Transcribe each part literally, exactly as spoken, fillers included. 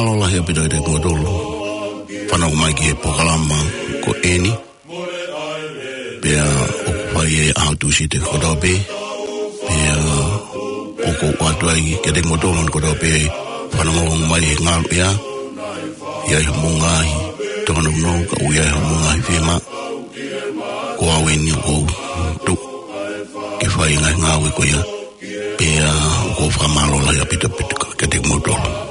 Mālō lahi ʻaupito kiate kimoutolu fanongo mai ki he polokalama ko eni. Pea ʻoku fai ʻi he ʻaho Tūsite kotoa pē. Pea ʻoku ou ʻoatu ai kiate kimoutolu kotoa pē fanongo mai he ngaluʻea. ʻI ai haʻamou ngaahi tōnounou, ka ʻoku ʻi ai haʻamou ngaahi fiemaʻu, ko au eni ʻoku ou tuʻu ke fai e ngaahi ngāue ko ia. Pea ʻoku ou fakamālō lahi ʻaupito ʻaupito kiate kimoutolu.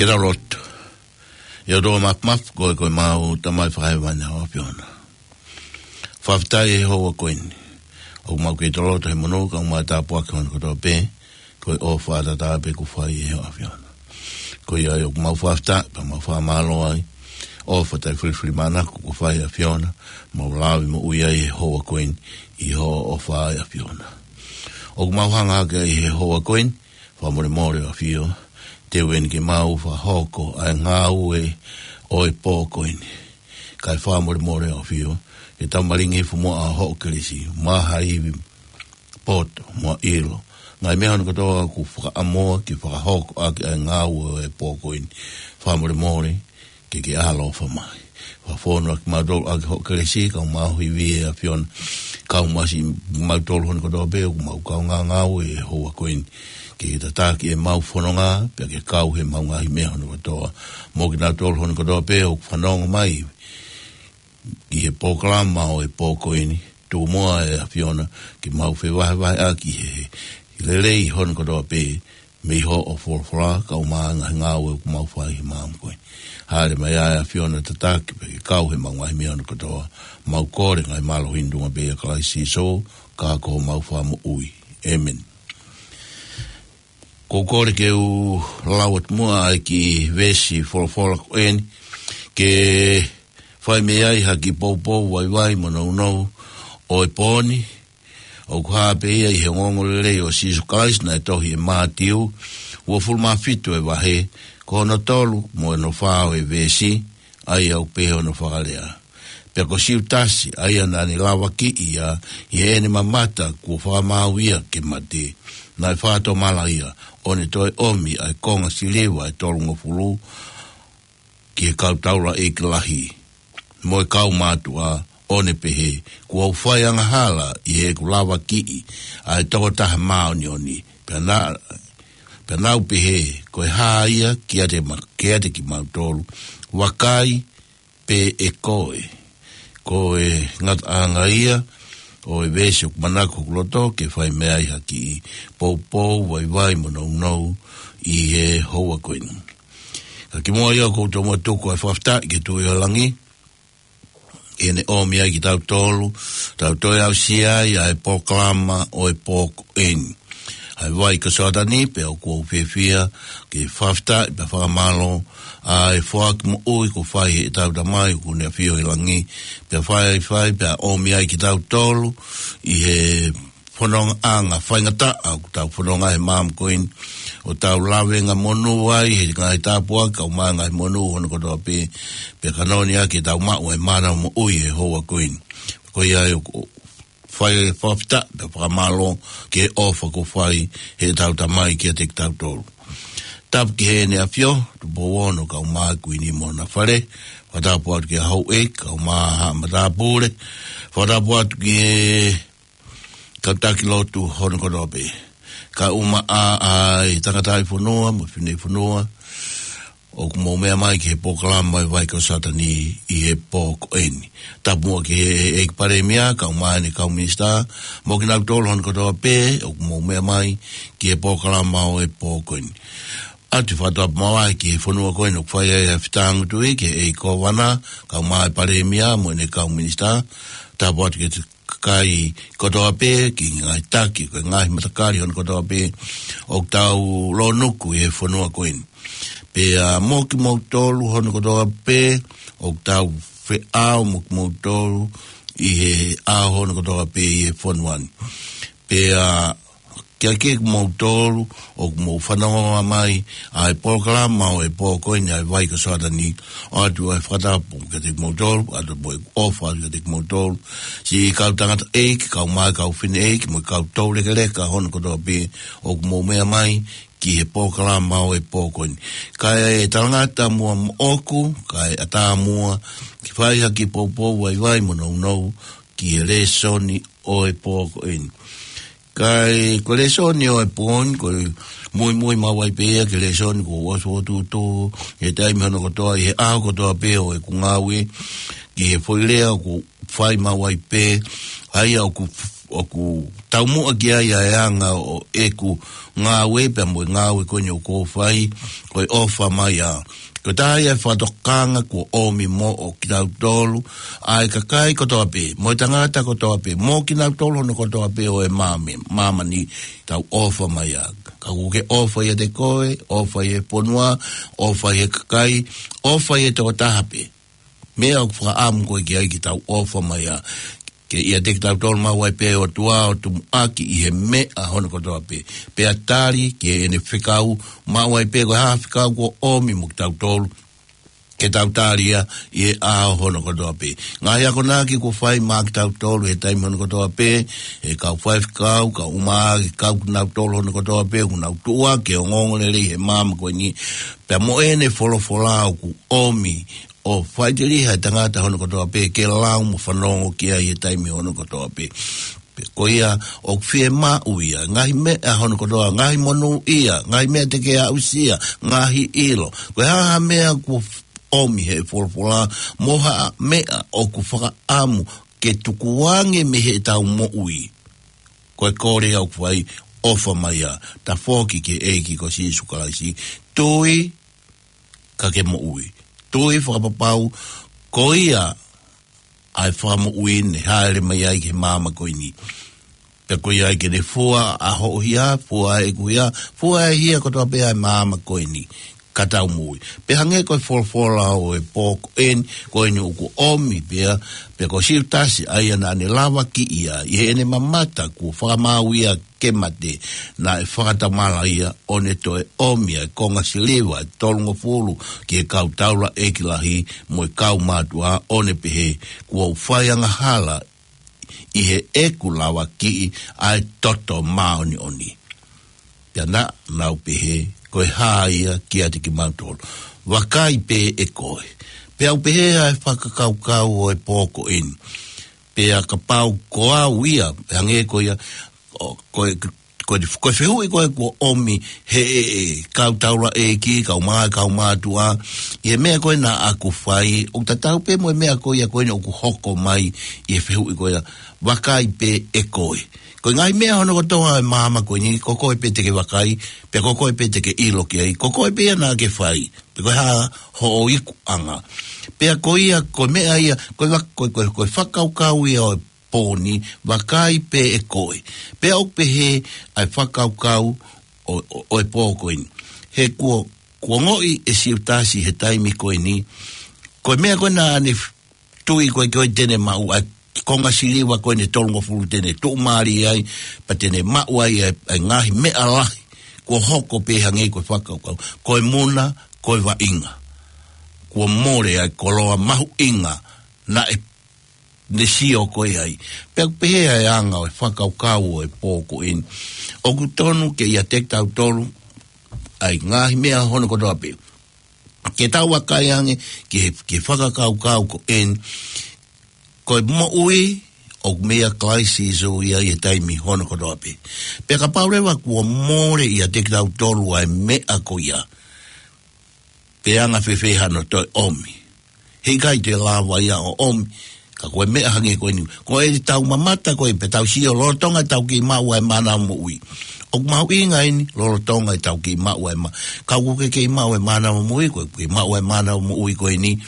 Ke tau lotu. ʻE ʻOtua Māfimafi, ko e, ko ʻemau Tamai Fakahēvani ʻa e ʻAfiona. Fakafetaʻi he houa ko eni. ʻOku mau kei toloto he monū, kae ʻumaʻā e tāpuaki hono kotoa pē, ko e ʻofa tatau pē kuo fai ʻe he ʻAfiona. Ko ia ai ʻoku mau fakafetaʻi, pea mau fakamālō ai. ʻOfa taʻefilifilimānako kuo fai ʻe he ʻAfiona, mau lave moʻui ai he houa ko eni, ʻi hoʻo ʻofa ʻe ʻAfiona. ʻOku mau hanga hake ai he houa ko eni, fakamolemole ʻAfio, teu eni ke mau fakahoko ʻa e ngāue ʻo e pō ko eni. Kae fakamolemole ʻAfio, ke tau malingi fumoa ʻa hoʻo kelesi, maʻa ha ivi poto, mo e ʻilo. Ngaahi meʻa hono kotoa kuo fakaʻamu ke fakahoko ʻaki ʻa e ngāue ʻo e pō ko eni. Fakamolemole, ke ke ʻaloʻofa mai. Fakafonu ʻaki kimautolu ʻaki hoʻo kelesi, kae ʻumaʻā ho ivi ʻe ʻAfiona. Kau mai siʻimautolu hono kotoa pē, ʻoku mau kaungā ngāue he houa ko eni. Ke ke tataki ʻemau fononga, pea ke kau heʻemau ngaahi meʻa hono kotoa. Mo kinautolu hono kotoa pē, ʻoku fanongo mai ʻi he polokalama ʻo e pō ko eni, tuku muʻa ʻe ʻAfiona, ke mau fevahevaheʻaki he, he lelei hono kotoa pē, mei hoʻo folofola, kae ʻumaʻā e ngaahi ngāue ʻoku mau fai he māmani ko eni. Hāʻele mai ʻa e ʻAfiona tataki, pea ke kau heʻemau ngaahi meʻa hono kotoa, mau kole ngaahi mālohi ni tuʻunga pē ʻia Kalaisi Sīsū, ka ko homau Fakamoʻui. ʻĒmeni. ʻOku ou kole ke u lau atu muʻa ʻa e kiʻi veesi folofola ko eni, ke fai mei ai ha kiʻi poupou vaivai mo nounou ʻo e pō ni, ʻoku hā pē ia ʻi he ongoongolelei ʻo Sīsū Kalaisi naʻe tohi ʻe Mātiu, uofulu mā fitu e vahe, ko hono tolu mo hono fā ʻo e veesi, ʻa ia ʻoku pehē hono fakalea. Pea ko Siutasi, ʻa ia naʻa ne lavakiʻi ia, ʻi heʻene mamata kuo fakamaau ia ke mate, naʻe fakatomala ia, ʻo ne toe ʻomi ʻa e konga siliva ʻe tolungofulu, ki he kau taulaʻeiki lahi mo e kau mātuʻa, ʻo ne pehē, kuo u fai angahala ʻi heʻeku lavakiʻi ʻa e tokotaha māʻoniʻoni. Pea na, pea naʻa ku pehē, ko e hā ia kiate ma, kiate kimautolu? Vakai, pe ʻe koe. Ko e ngataʻanga ia ʻo e veesi ʻoku manako hoku loto ke fai mei ai ha kiʻi poupou vaivai mo nounou ʻi he houa ko eni. Ka kimuʻa ia ʻoku ou tomuʻa tuku ʻa e fakafetaʻi ki he Tuʻi ʻo Langi, ʻi heʻene ʻomi ai kitautolu, tau toe aʻusia ai ʻa e polokalama ʻo e pō ko eni. ʻA e Vai ko Soatani, pea ʻoku ou fiefia ke fakafetaʻi pea fakamālō ʻa e foaki moʻui kuo fai heʻetau Tamai ʻoku ne ʻafio ʻi langi, pea fai ai fai, pea ʻomi ai kitautolu ʻi he fonongaʻanga faingataʻa ʻoku tau fononga he māmani ko eni, ʻo tau lavengamonū ai he ngaahi tāpuaki kae ʻumaʻā e ngaahi monū hono kotoa pē, pea ka noni ʻaki ʻetau maʻu ʻa e mana moʻui he houa ko eni. Ko ia ai ʻoku fai e fakafetaʻi pea fakamālō ki he ʻofa kuo fai heʻetau Tamai kiate kitautolu. Tapu ki Heʻene ʻAfio, Tupou Ono kae ʻumaʻā e Kuini mo hona fale, fakatapu atu ki he houʻeiki kae ʻumaʻā haʻa matāpule, fakatapu atu ki he kau taki lotu hono kotoa pē, kae ʻumaʻā ʻa e tangataʻi fonua mo e fineʻeiki fonua, ʻoku mou meʻa mai ki he polokalama ʻo e Vai ko Soatani ʻi he pō ko eni. Tapu muʻa ki he ʻEiki Palēmia, kae ʻumaʻā ʻene kau minisitā, mo kinautolu hono kotoa pē ʻoku mou meʻa mai ki he polokalama ʻo e pō ko eni. ʻOatu e fakatapu makehe ki he fonua ko eni ʻoku fai ai ʻa e fetāngutuʻi, ki he ʻEiki Kōvana, kae ʻumaʻā e Palēmia mo ʻene kau minisitā. Tapu atu ki he kakai kotoa pē, ki he ngaahi taki, ki he ngaahi matakali hono kotoa pē ʻoku tau lōnuku ʻi he fonua ko eni. Pea mo kimoutolu hono kotoa pē ʻoku tau feʻao mo kimoutolu ʻi he ʻaho hono kotoa pē ʻi he fonua ni. Pea kiate kimoutolu ʻoku mou fanongo mai ʻa e polokalama ʻo e pō ko eni ʻa e Vai ko Soatani, ʻoatu ʻa e fakatapu kiate kimoutolu, ʻoatu mo e ʻofa kiate kimoutolu, siʻi kau tangataʻeiki, kae ʻumaʻā e kau fineʻeiki, mo e kau toulekeleka hono kotoa pē ʻoku mou meʻa mai ki he polokalama ʻo e pō ko eni. Kae talangata muʻa moʻoku, kae ʻatā muʻa ke fai ha kiʻi poupou vaivai mo nounou ki he lēsoni ʻo e pō ko eni. Kae ko e lēsoni ʻo e pō ni, ko e muimui maʻu ai pē ia ki he lēsoni kuo ʻosi fokotuʻutuʻu he taimi hono kotoa ʻi he ʻaho kotoa pē ʻo ʻeku ngāue, ki he foʻi lea ʻoku fai maʻu ai pē, ʻa ia ʻoku f-, ʻoku taumuʻa ki ai ʻa e anga ʻo ʻeku ngāue pea mo e ngāue ko eni ʻoku ou fai, ko e ʻofa mai ā. Ko e taha ia e fakatokanga kuo ʻomi moʻo kitautolu, ʻa e kakai kotoa pē, mo e tangata kotoa pē, mo kinautolu hono kotoa pē ʻo e māmē-, māmani, tau ʻofa mai ā. Ka ʻoku ke ʻofa ʻiate koe, ʻofa ʻi he fonua, ʻofa ʻi he kakai, ʻofa ʻi he tokotaha pē. Meʻa ʻoku fakaʻamu ko ē ki ai ke tau ʻofa mai ā. Ke ʻiate kitautolu maʻu ai pē ʻOtua ʻo tumuʻaki ʻi he meʻa hono kotoa pē. Pea tali ki heʻene fekau, maʻu ai pē ko e hā ha fekau kuo ʻomi mo kitautolu, ke tau tali ia ʻi he ʻaho hono kotoa pē. Ngaahi akonaki kuo fai maʻa kitautolu he taimi hono kotoa pē, ʻe he kau faifekau, kau ʻumaʻā, kau kinautolu hono kotoa pē, ʻoku nau tuʻuaki he ongoongolelei he māmani ko eni, pea mo ʻene folofola ʻoku ʻomi ʻo faʻiteliha e tangata hono kotoa pē ke lau mo fanongo ki ai he taimi hono kotoa pē. Pea ko ia ʻoku fiemaʻu ia, ngaahi meʻa hono kotoa, ngaahi monūʻia, ngaahi meʻa te ke aʻusia, ngaahi ʻilo. Ko e hā ha meʻa kuo ʻomi he folofola, mo ha meʻa ʻoku fakaʻamu ke tukuange mei heʻetau moʻui. Ko e kole ʻoku fai, ʻofa mai ā, tafoki ki he ʻEiki ko Sīsū Kalaisi, tui ka ke moʻui. Tui fakapapau, ko ia ʻa e fakamoʻui naʻe hāʻele mai ai ki he māmani ko eni. Pea ko ia ai ke ne fua ʻa hoʻo hia, fua ʻa ʻeku hia, fua ʻa e hia kotoa pē ʻa e māmani ko eni, ka tau moʻui. Pea hangē ko e folofola ʻo e pō ko eni, ko eni ʻoku ʻomi pea, pea ko Siutasi ʻa ia naʻa ne lavakiʻi ia, ʻi heʻene mamata kuo fakamaau ia ke mate, naʻe fakatomala ia ʻo ne toe ʻomi ʻa e konga siliva ʻe tolungofulu ki he kau taulaʻeiki lahi mo e kau mātuʻa ʻo ne pehē, kuo u fai angahala ʻi heʻeku lavakiʻi ʻa e toto māʻoniʻoni. Pea naʻa nau pehē, ko e hā ia kiate kimautolu? Vakai pē ʻe koe. Pea u pehē ʻa e fakakaukau ʻo e pō ko eni. Pea kapau ko au ia, hangē ko ia, ʻo, ko e, ko e, ko e fehuʻi ko ē kuo ʻomi he ʻe, ʻe, kau taulaʻeiki, kau mā-, kau mātuʻa, ʻi he meʻa ko ē naʻa ku fai, ʻoku tatau pē mo e meʻa ko ia ko eni ʻoku hoko mai ʻi he fehuʻi ko ia, vakai pē ʻe koe. Ko e ngaahi meʻa hono kotoa ʻa e māmani ko eni, ko koe pē te ke vakai, pea ko koe pē te ke ʻilo ki ai, ko koe pē ia naʻa ke fai, pe ko e hā hoʻo ikuʻanga. Pea ko ia, ko e meʻa ia, ko e va-, ko e, ko e, ko e fakakaukau ia ʻo e pō ni, vakai pē ʻe koe. Pea ʻoku pehē ʻa e fakakaukau ʻo, ʻo, ʻo e pō ko eni. He kuo, kuo ongoʻi ʻe Siutasi he taimi ko eni, ko e meʻa ko ē naʻa ne f-, tui ko ē ko ē te ne maʻu ʻa e konga siliva ko eni ʻe tolungofulu te ne tuʻumālie ai, pea te ne maʻu ai ʻa e, ʻa e ngaahi meʻa lahi, kuo hoko pē hangē ko e fakakaukau. Ko e muna, ko e vaʻinga. Kuo mole ʻa e koloa mahuʻinga naʻe ne sio ko ē ai. Pea ʻoku pehē ʻa e anga ʻo e fakakaukau ʻo e pō ko eni. ʻOku tonu ke ʻiate kitautolu ʻa e ngaahi meʻa hono kotoa pē. Ke tau vakai ange ki he, ki he fakakaukau ko eni. Ko e moʻui ʻoku meia Kalaisi Sīsū ia ʻi he taimi hono kotoa pē. Pea kapau leva kuo mole ʻiate kitautolu ʻa e meʻa ko ia, pe anga fēfē hano toe ʻomi? Heʻikai te lava ia ʻo ʻomi. Ka ko e meʻa hangē ko eni, ko ʻetau mamata ko ē pea tau sio lolotonga ʻetau kei maʻu ʻa e mānava moʻui. ʻOku mahuʻinga eni lolotonga ʻetau kei maʻu ʻa e mā-, ka ʻoku ke kei maʻu ʻa e mānava moʻui, ko e kei maʻu ʻa e mānava moʻui ko eni.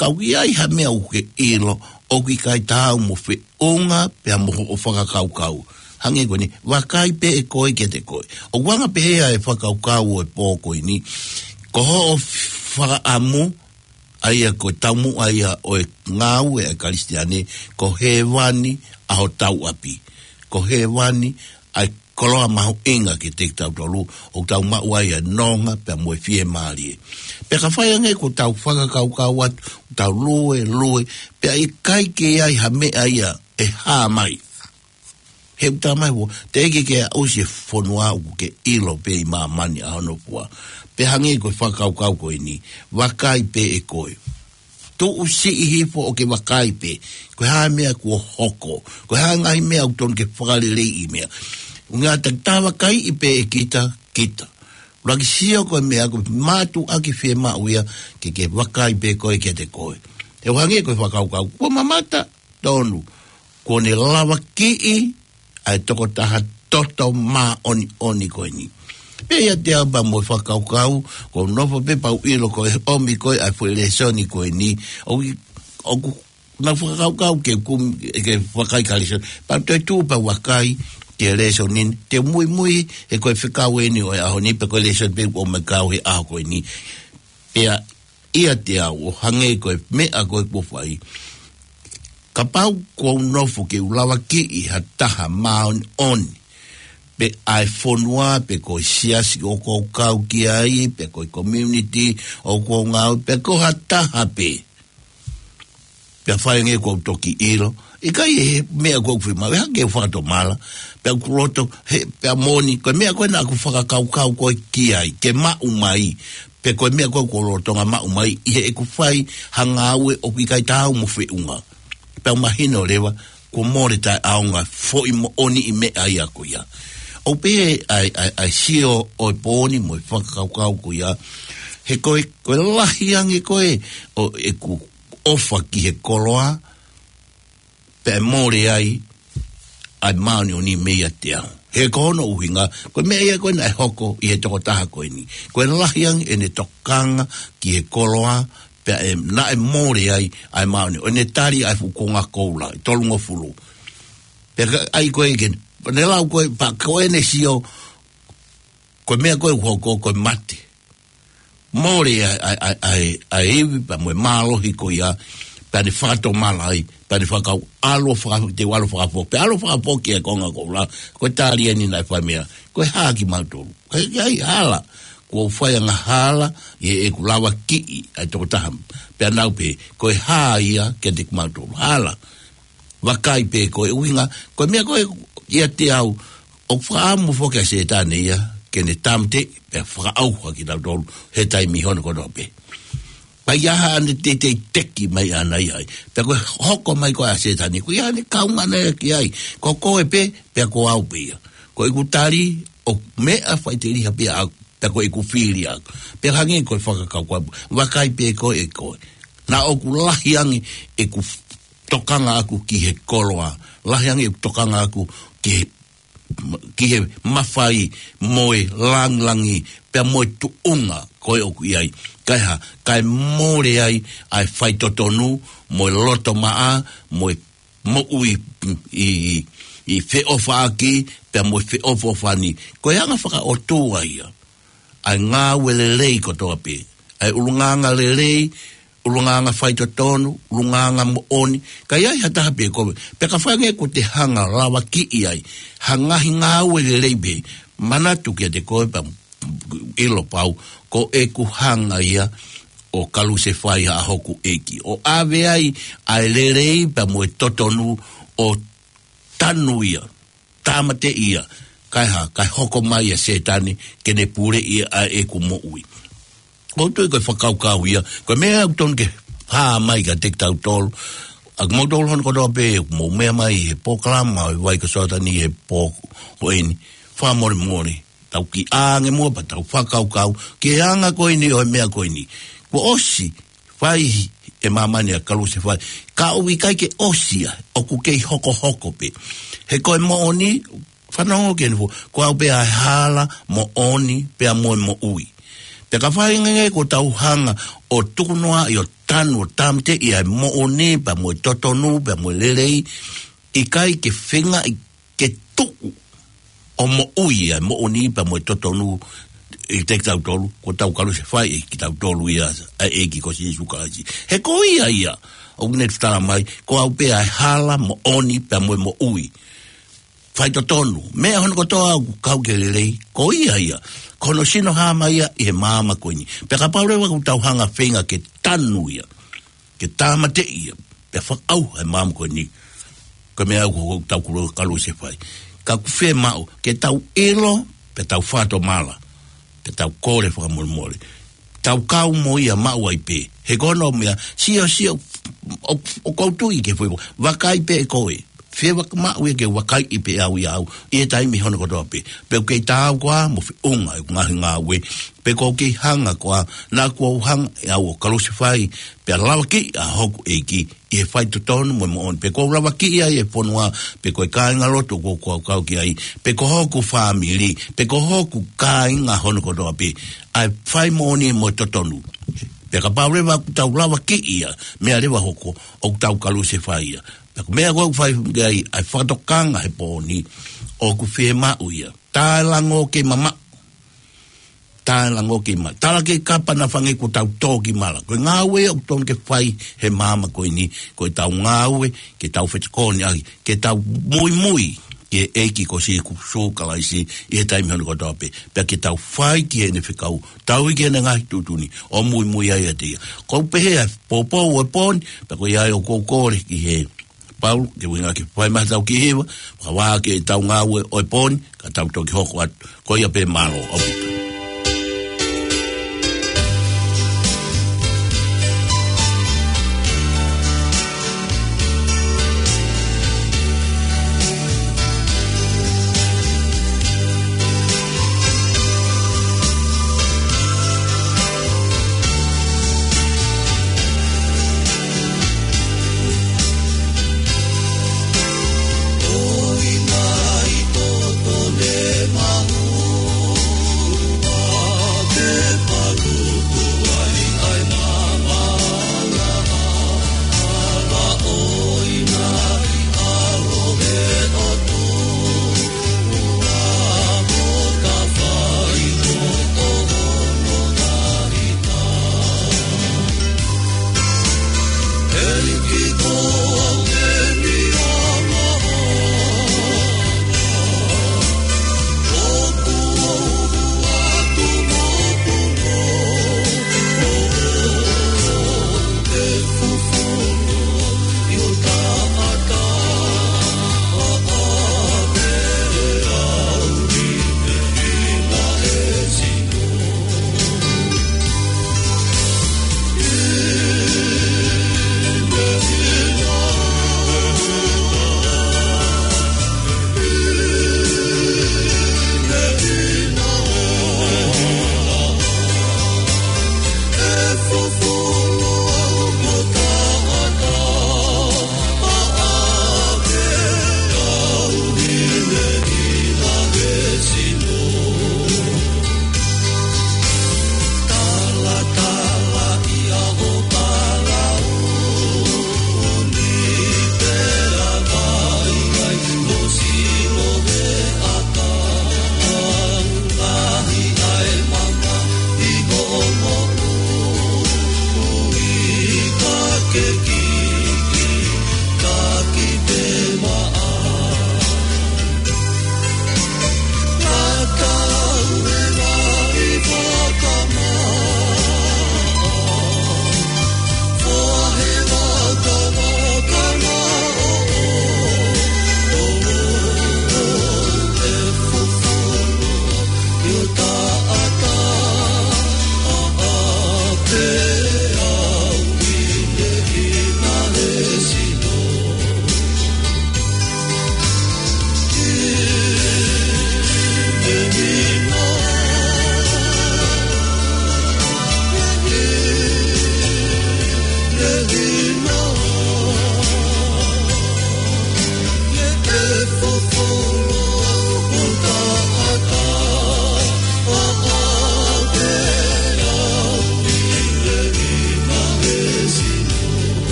Ka ʻoku ʻi ai ha meʻa ʻoku ke ʻilo, ʻoku ʻikai taau mo feʻunga pea mo hoʻo fakakaukau. Hangē ko eni, vakai pē ʻe koe kiate koe. ʻOku anga pehē ʻa e fakakaukau ʻo e pō ko eni. Ko hoʻo fakaʻamu, ʻa ia ko e taumuʻa ia ʻo e ngāue ʻa e Kalisitiane, ko hēvani ʻa hotau ʻapi. Ko hēvani ʻa e koloa mahuʻinga kiate kitautolu, ʻoku tau maʻu ai ʻa e nonga pea mo e fiemālie. Pea ka fai ange ko ʻetau fakakaukau atu, tau lue, lue, pea ʻikai ke ʻi ai ha meʻa ia ʻe hā mai. He ʻoku talamai ʻe he ʻOtua, teʻeki ke aʻusia e fonua ʻoku ke ʻilo pē ʻi māmani ʻa hono fua. Pea hangē ko e fakakaukau ko eni, vakai pē ʻe koe. Tuʻu siʻi hifo ʻo ke vakai pē. Ko e hā e meʻa kuo hoko. Ko e hā e ngaahi meʻa ʻoku tonu ke fakaleleiʻi meʻa. ʻUhinga te ta vakaiʻi pē ʻe kita, kita. Laki sio ko e meʻa ko e mātuʻaki fiemaʻu ia ke ke vakai pē koe kiate koe. He ʻoku hangē ko e fakakaukau, kuo mamata, tonu. Kuo ne lavakiʻi ʻa e tokotaha toto māʻoniʻoni ko eni. Pea ʻiate au pea mo e fakakaukau, ʻoku ou nofo pē pea u ʻilo ko e ʻomi ko ē ʻa e foʻi lēsoni ko eni, ʻoku, ʻoku nau fakakaukau ke kumi, ke vakai ki he lēsoni. Pea u toe tuʻu pea u vakai ki he lēsoni ni, te u muimui he ko e fekau eni ʻo e ʻaho ni, pe ko e lēsoni pē ʻoku ʻomai kau he ʻaho ko eni. Pea ʻiate au ʻo hangē ko e meʻa ko ē kuo fai. Kapau ʻoku ou nofo ke u lavakiʻi ha taha māʻoniʻoni, pe ʻa e fonua, pe ko e siasi ʻoku ou kau ki ai, pe ko e community ʻoku ou ngāue, pe ko ha taha pē. Pea fai ange ʻoku ou toki ʻilo. ʻIkai e meʻa ʻoku ou fai mai, ʻe hake ʻo fakatomala. Pea ʻoku loto, he, pea moʻoni, ko e meʻa ko ē naʻa ku fakakaukau ko ē ki ai, ke maʻu mai. Pe ko e meʻa ko ē ʻoku ou lolotonga maʻu mai, ʻi heʻeku fai ha ngāue ʻoku ʻikai taau mo feʻunga. Pea u mahino leva, kuo mole taʻeʻaonga foʻi moʻoniʻi meʻa ia ko ia. ʻOku pehē ʻa e, ʻa e, ʻa e sio ʻo e pō ni mo e fakakaukau ko ia. He ko e, ko e lahi ange ko ē ʻo ʻeku ʻofa ki he koloa, pea mole ai ʻa e māʻoniʻoni meiate au. He ko hono ʻuhinga, ko e meʻa ia ko ē naʻe hoko ʻi he tokotaha ko eni. Ko e lahi ange ʻene tokanga ki he koloa, pea ʻe, naʻe mole ai ʻa e māʻoniʻoni. ʻO ne tali ʻa e fuʻu konga koula, ʻe tolungofulu. Pea ka, ʻai ko ē ke, ne lau ko ē, pea ko ʻene sio, ko e meʻa ko ē ʻoku hoko, ko e mate. Mole ʻa e, ʻa e, ʻa e, ʻa e, ʻa e ivi pea mo e mālohi ko ia, pea ne fakatomala ai, pea ne fakau ʻalu ʻo faka-, te u ʻalu ʻo fakafoki, pea ʻalu ʻo fakafoki e konga koula, ko e tali eni naʻe fai mai, ko e hā kimautolu. Ko e, ʻikai hala, kuo u fai angahala, ʻi heʻeku lavakiʻi ʻa e tokotaha, pea nau pehē, ko e hā ia kiate kimautolu, hala. Vakai pē ko e ʻuhinga, ko e meʻa ko ē ʻiate au, ʻoku fakaʻamu foki ʻa Sētane ia, ke ne tāmateʻi, pea fakaʻauha kitautolu, he taimi hono kotoa pē. Pea ʻi ai haʻane teitei teki mai ʻana ia ai. Pea ko e hoko mai ko ē ʻa Sētane, ko ia ne kaungana ia ki ai. Ko koe pē, pea ko au pē ia. Ko ʻeku tali, ʻoku meʻa faʻiteliha pē ia au, pea ko ʻeku fili au. Pea hangē ko e fakakaukau, vakai pē ko ē ko ē. Naʻa ʻoku lahi ange ʻeku tokanga ʻaʻaku ki he koloa, lahi ange ʻeku tokanga ʻaʻaku ki he, ki he mafai mo e langilangi, pea mo e tuʻunga ko ē ʻoku ʻi ai. Kae hā, kae mole ai ʻa e faitotonu, mo e loto maʻa, mo e moʻui ʻi, ʻi, ʻi feʻofaʻaki, pea mo e feʻofoʻofani. Ko e anga fakaʻotua ia ʻa e ngāue lelei kotoa pē. ʻA e ʻulungaanga lelei, ʻulungaanga faitotonu, ʻulungaanga moʻoni. Ka ʻi ai ha taha pē ko ē, pea ka fai ange ʻoku te hanga lavakiʻi ai ha ngaahi ngāue lelei pē, manatu kiate koe pea ʻilo pau, ko ʻeku hanga ia ʻo kalusefai ʻa hoku ʻEiki. ʻO ʻave ai ʻa e lelei pea mo e totonu ʻo tanu ia, tāmateʻi ia, kae hā, kae hoko mai ʻa Sētane, ke ne puleʻi ʻa ʻeku moʻui. ʻOku ou tui ko e fakakaukau ia, ko e meʻa ʻoku tonu ke hā mai kiate kitautolu, ʻa kimoutolu hono kotoa pē, mou meʻa mai he polokalama, ʻo e vai ko Sōtani he pō ko eni, fakamolemole, tau kiʻi ʻā ange muʻa pea tau fakakaukau, ki he anga ko eni ʻo e meʻa ko eni. Kuo ʻosi, fai ʻe māmani ʻa e kalusefai. Ka ʻoku ʻikai ke ʻosi ia, ʻoku kei hokohoko pē. He ko e moʻoni, fanongo ki heni fo, ko au pē ʻa e hala, moʻoni, pea mo e moʻui. Pea ka fai ange ʻoku tau hanga ʻo tukunoaʻi ʻo tanu ʻo tāmateʻi ʻa e moʻoni, pea mo e totonu, pea mo e lelei, ʻikai ke feingaʻi ke tuʻu ʻo moʻui ʻa e moʻoni pea mo e totonu ʻiate kitautolu, kuo tau kalusefai ʻe kitautolu ia ʻa e ʻEiki ko Sīsū Kalaisi. He ko ia ia, ʻoku ne tala mai, ko au pē ʻa e hala, moʻoni, pea mo e moʻui. Faitotonu, meʻa hono kotoa ʻoku kau ki he lelei, ko ia ia, ko hono sino hā mai ia ʻi he māmani ko eni. Pea kapau leva ʻoku tau hanga feinga ke tanu ia, ke tāmateʻi ia, pea fakaʻauha e māmani ko eni. Ko e meʻa ʻoku tau kulu kalusefai. Ka ʻoku fiemaʻu, ke tau ʻilo, pea tau fakatomala, pea tau kole fakamolemole. Tau kau mo ia maʻu ai pē. He ko hono meʻa, sio, sio, ʻo, ʻoku ou tui ke fai. Vakai pē ko ē. Fie vaka maʻu ia ke vakaiʻi pē au ia au, ʻi he taimi hono kotoa pē. Pe ʻoku kei taau koā mo feʻunga ʻeku ngaahi ngāue. Pe ʻoku ou kei hanga koā, naʻa kuo u hanga ʻe au ʻo kalusefai, pea lavakiʻi ʻa hoku ʻEiki, ʻi he faitotonu mo e moʻoni. Pe ʻoku ou lavakiʻi ai e fonua, pe ko e kāingalotu ʻoku ou kau ki ai, pe ko hoku fāmili, pe ko hoku kāinga hono kotoa pē. ʻA e fai moʻoni mo e totonu. Pea kapau leva ʻoku tau lavakiʻi ia, meʻa leva hoko, ʻoku tau kalusefai ia. Pea ko e meʻa ko ē ʻoku fai ki ai, ʻa e fakatokanga he pō ni, ʻoku fiemaʻu ia. Tae lango ke mamaʻo. Tae lango ke ma. Tala ke kapa na fange ko tau tō ki mala. Ko e ngāue ʻoku tonu ke fai he māmani ko eni, ko e tau ngāue, ke tau fetokoniʻaki, ke tau muimui ki he ʻEiki ko Sīsū Kalaisi ʻi he taimi hono kotoa pē. Pea ke tau fai ki heʻene fekau, tau ʻi ki heʻene ngaahi tuʻutuʻuni, ʻo muimui ai ʻiate ia. Ko u pehē ʻa e pōpoaki ʻo e pō ni, pea ko ia ʻoku ou kole ki he Paula, ke uinga ke fai mai tau ki hiva, ka vā ke tau ngāue ʻo e pō ni, ka tau toki hoko atu, ko ia pē mālō ʻaupito.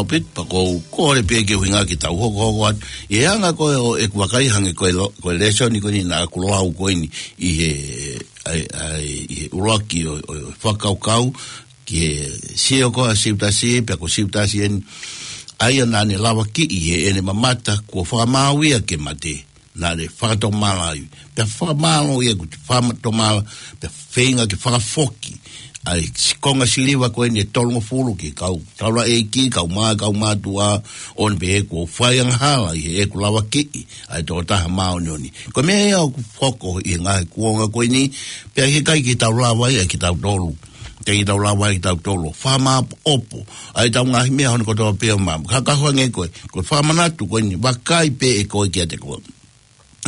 Pit, pea ʻoku ou kole pē ke ʻuhinga ke tau hokohoko atu. ʻI he anga ko ē ʻo ʻeku vakai hangē ko e lo-, ko e lēsoni ko eni naʻa ku lau ko eni ʻi he, ʻai, ʻai, ʻi he ʻuluaki ʻo, ʻo, ʻo e fakakaukau, ki he sio ko ē ʻa Siutasi, pea ko Siutasi eni, ʻa ia naʻa ne lavakiʻi ʻi heʻene mamata, kuo fakamaau ia ke mate. Naʻa ne fakatomala ai. Pea fakamālō ia kuo fakatomala, pea feinga ke fakafoki ʻa e siʻi konga siliva ko eni ʻe tolungofulu ki he kau taulaʻeiki, kau mā-, kau mātuʻa, ʻo ne pehē kuo fai angahala ʻi heʻeku lavakiʻi ʻa e tokotaha māʻoniʻoni. Ko e meʻa ia ʻoku hoko ʻi he ngaahi kuonga ko eni, pea ʻikai ke tau lava ia kitautolu. ʻIkai ke tau lava ia kitautolu. Fakamāʻopoʻopo ʻa ʻetau ngaahi meʻa hono kotoa pē ʻo mā. Ka, ka hangē ko e, ko e fakamanatu ko eni, vakai pē ʻe koe kiate koe.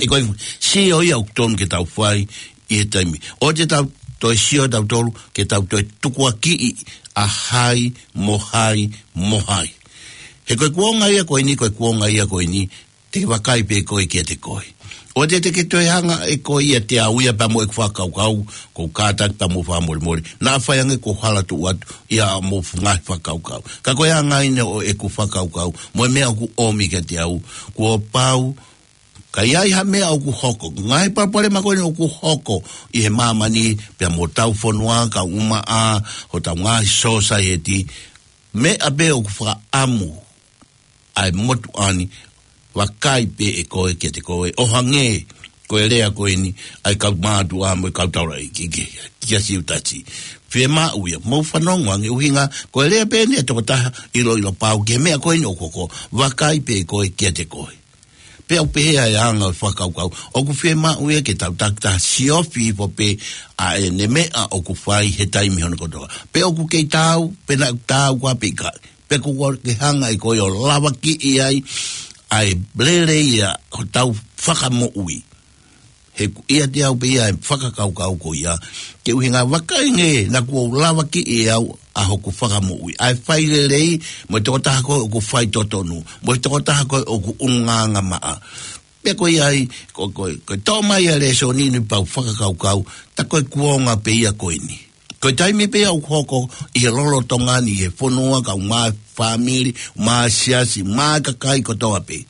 ʻE koe, sio ia ʻoku tonu ke tau fai ʻi he taimi. ʻOua te tau toe sio tautolu ke tau toe tukuakiʻi ʻa hai mo hai mo hai. He ko e kuonga ia ko eni, ko e kuonga ia ko eni, te ke vakai pē ʻe koe kiate koe. ʻOua te, te ke toe hanga ʻe koe ia ʻo teau ia pea mo ʻeku fakakaukau, ʻoku ou kātaki pea mo fakamolemole. Naʻa faʻa hangē ko e hala tuʻu atu ia mo e ngaahi fakakaukau. Ka ko e anga eni ʻo ʻeku fakakaukau, mo e meʻa ʻoku ʻomi kiate au, kuo pau ka ʻi ai ha meʻa ʻoku hoko, ngaahi palopalema ko eni ʻoku hoko ʻi he māmani, pea mo hotau fonua, kau ʻumaʻā, hotau ngaahi sōsaieti, meʻa pē ʻoku fakaʻamu ʻa e motuʻa ni, vakai pē ʻe koe kiate koe, ʻo hangē ko e lea ko eni ʻa e kau mātuʻa mo e kau taulaʻeiki ki, ki, kia Siutasi. Fiemaʻu ia, mou fanongo ange ʻuhinga, ko e lea pē eni ʻa e tokotaha ʻiloʻilo pau ki he meʻa ko eni ʻoku hoko, vakai pē ʻe koe kiate koe. Pea ʻoku pehē ʻa e anga ʻo e fakakaukau, ʻoku fiemaʻu ia ke tau takitaha siofi hifo pē ʻa ʻene meʻa ʻoku fai he taimi hono kotoa. Pe ʻoku kei taau, pe naʻa taau koā pe ʻikai. Pe ʻoku ke hanga ʻe koe ʻo lavakiʻi ai ʻa e lelei ʻa hotau fakamoʻui. He ʻoku ʻiate au pē ia e fakakaukau ko ia. Ke ʻuhinga vakai ange naʻa kuo lavakiʻi ʻe au ʻa hoku fakamoʻui. ʻA e fai lelei, mo e tokotaha ko ē ʻoku fai totonu, mo e tokotaha ko ē ʻoku ʻulungaanga maʻa. Pea ko ia ai, ko, ko, ko e toʻo mai ʻa e lēsoni ni pea u fakakaukau, tā ko e kuonga pē ia ko eni. Ko e taimi pē ia ʻoku hoko ʻi he lolotonga ni, ʻi he fonua, kau mā-, fāmili, mā-, siasi, mā-, kakai kotoa pē.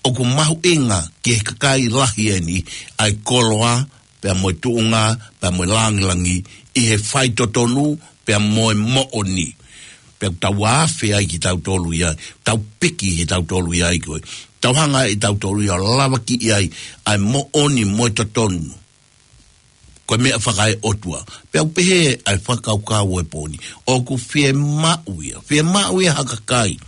ʻOku mahuʻinga ki he kakai lahi eni ʻa e koloa, pea mo e tuʻunga, pea mo e langilangi, ʻi he fai totonu, pea mo e moʻoni. Pea ʻoku tau afe ai kitautolu ia, tau piki kitautolu ia ʻi ko ē. Tau hanga ʻe tautolu ia ʻo lavakiʻi ai ʻa e moʻoni mo e totonu. Ko e meʻa fakaeʻotua. Pea u pehē ʻa e fakakaukau ʻo e pō ni, ʻoku fiemaʻu ia. Fiemaʻu ia ha kakai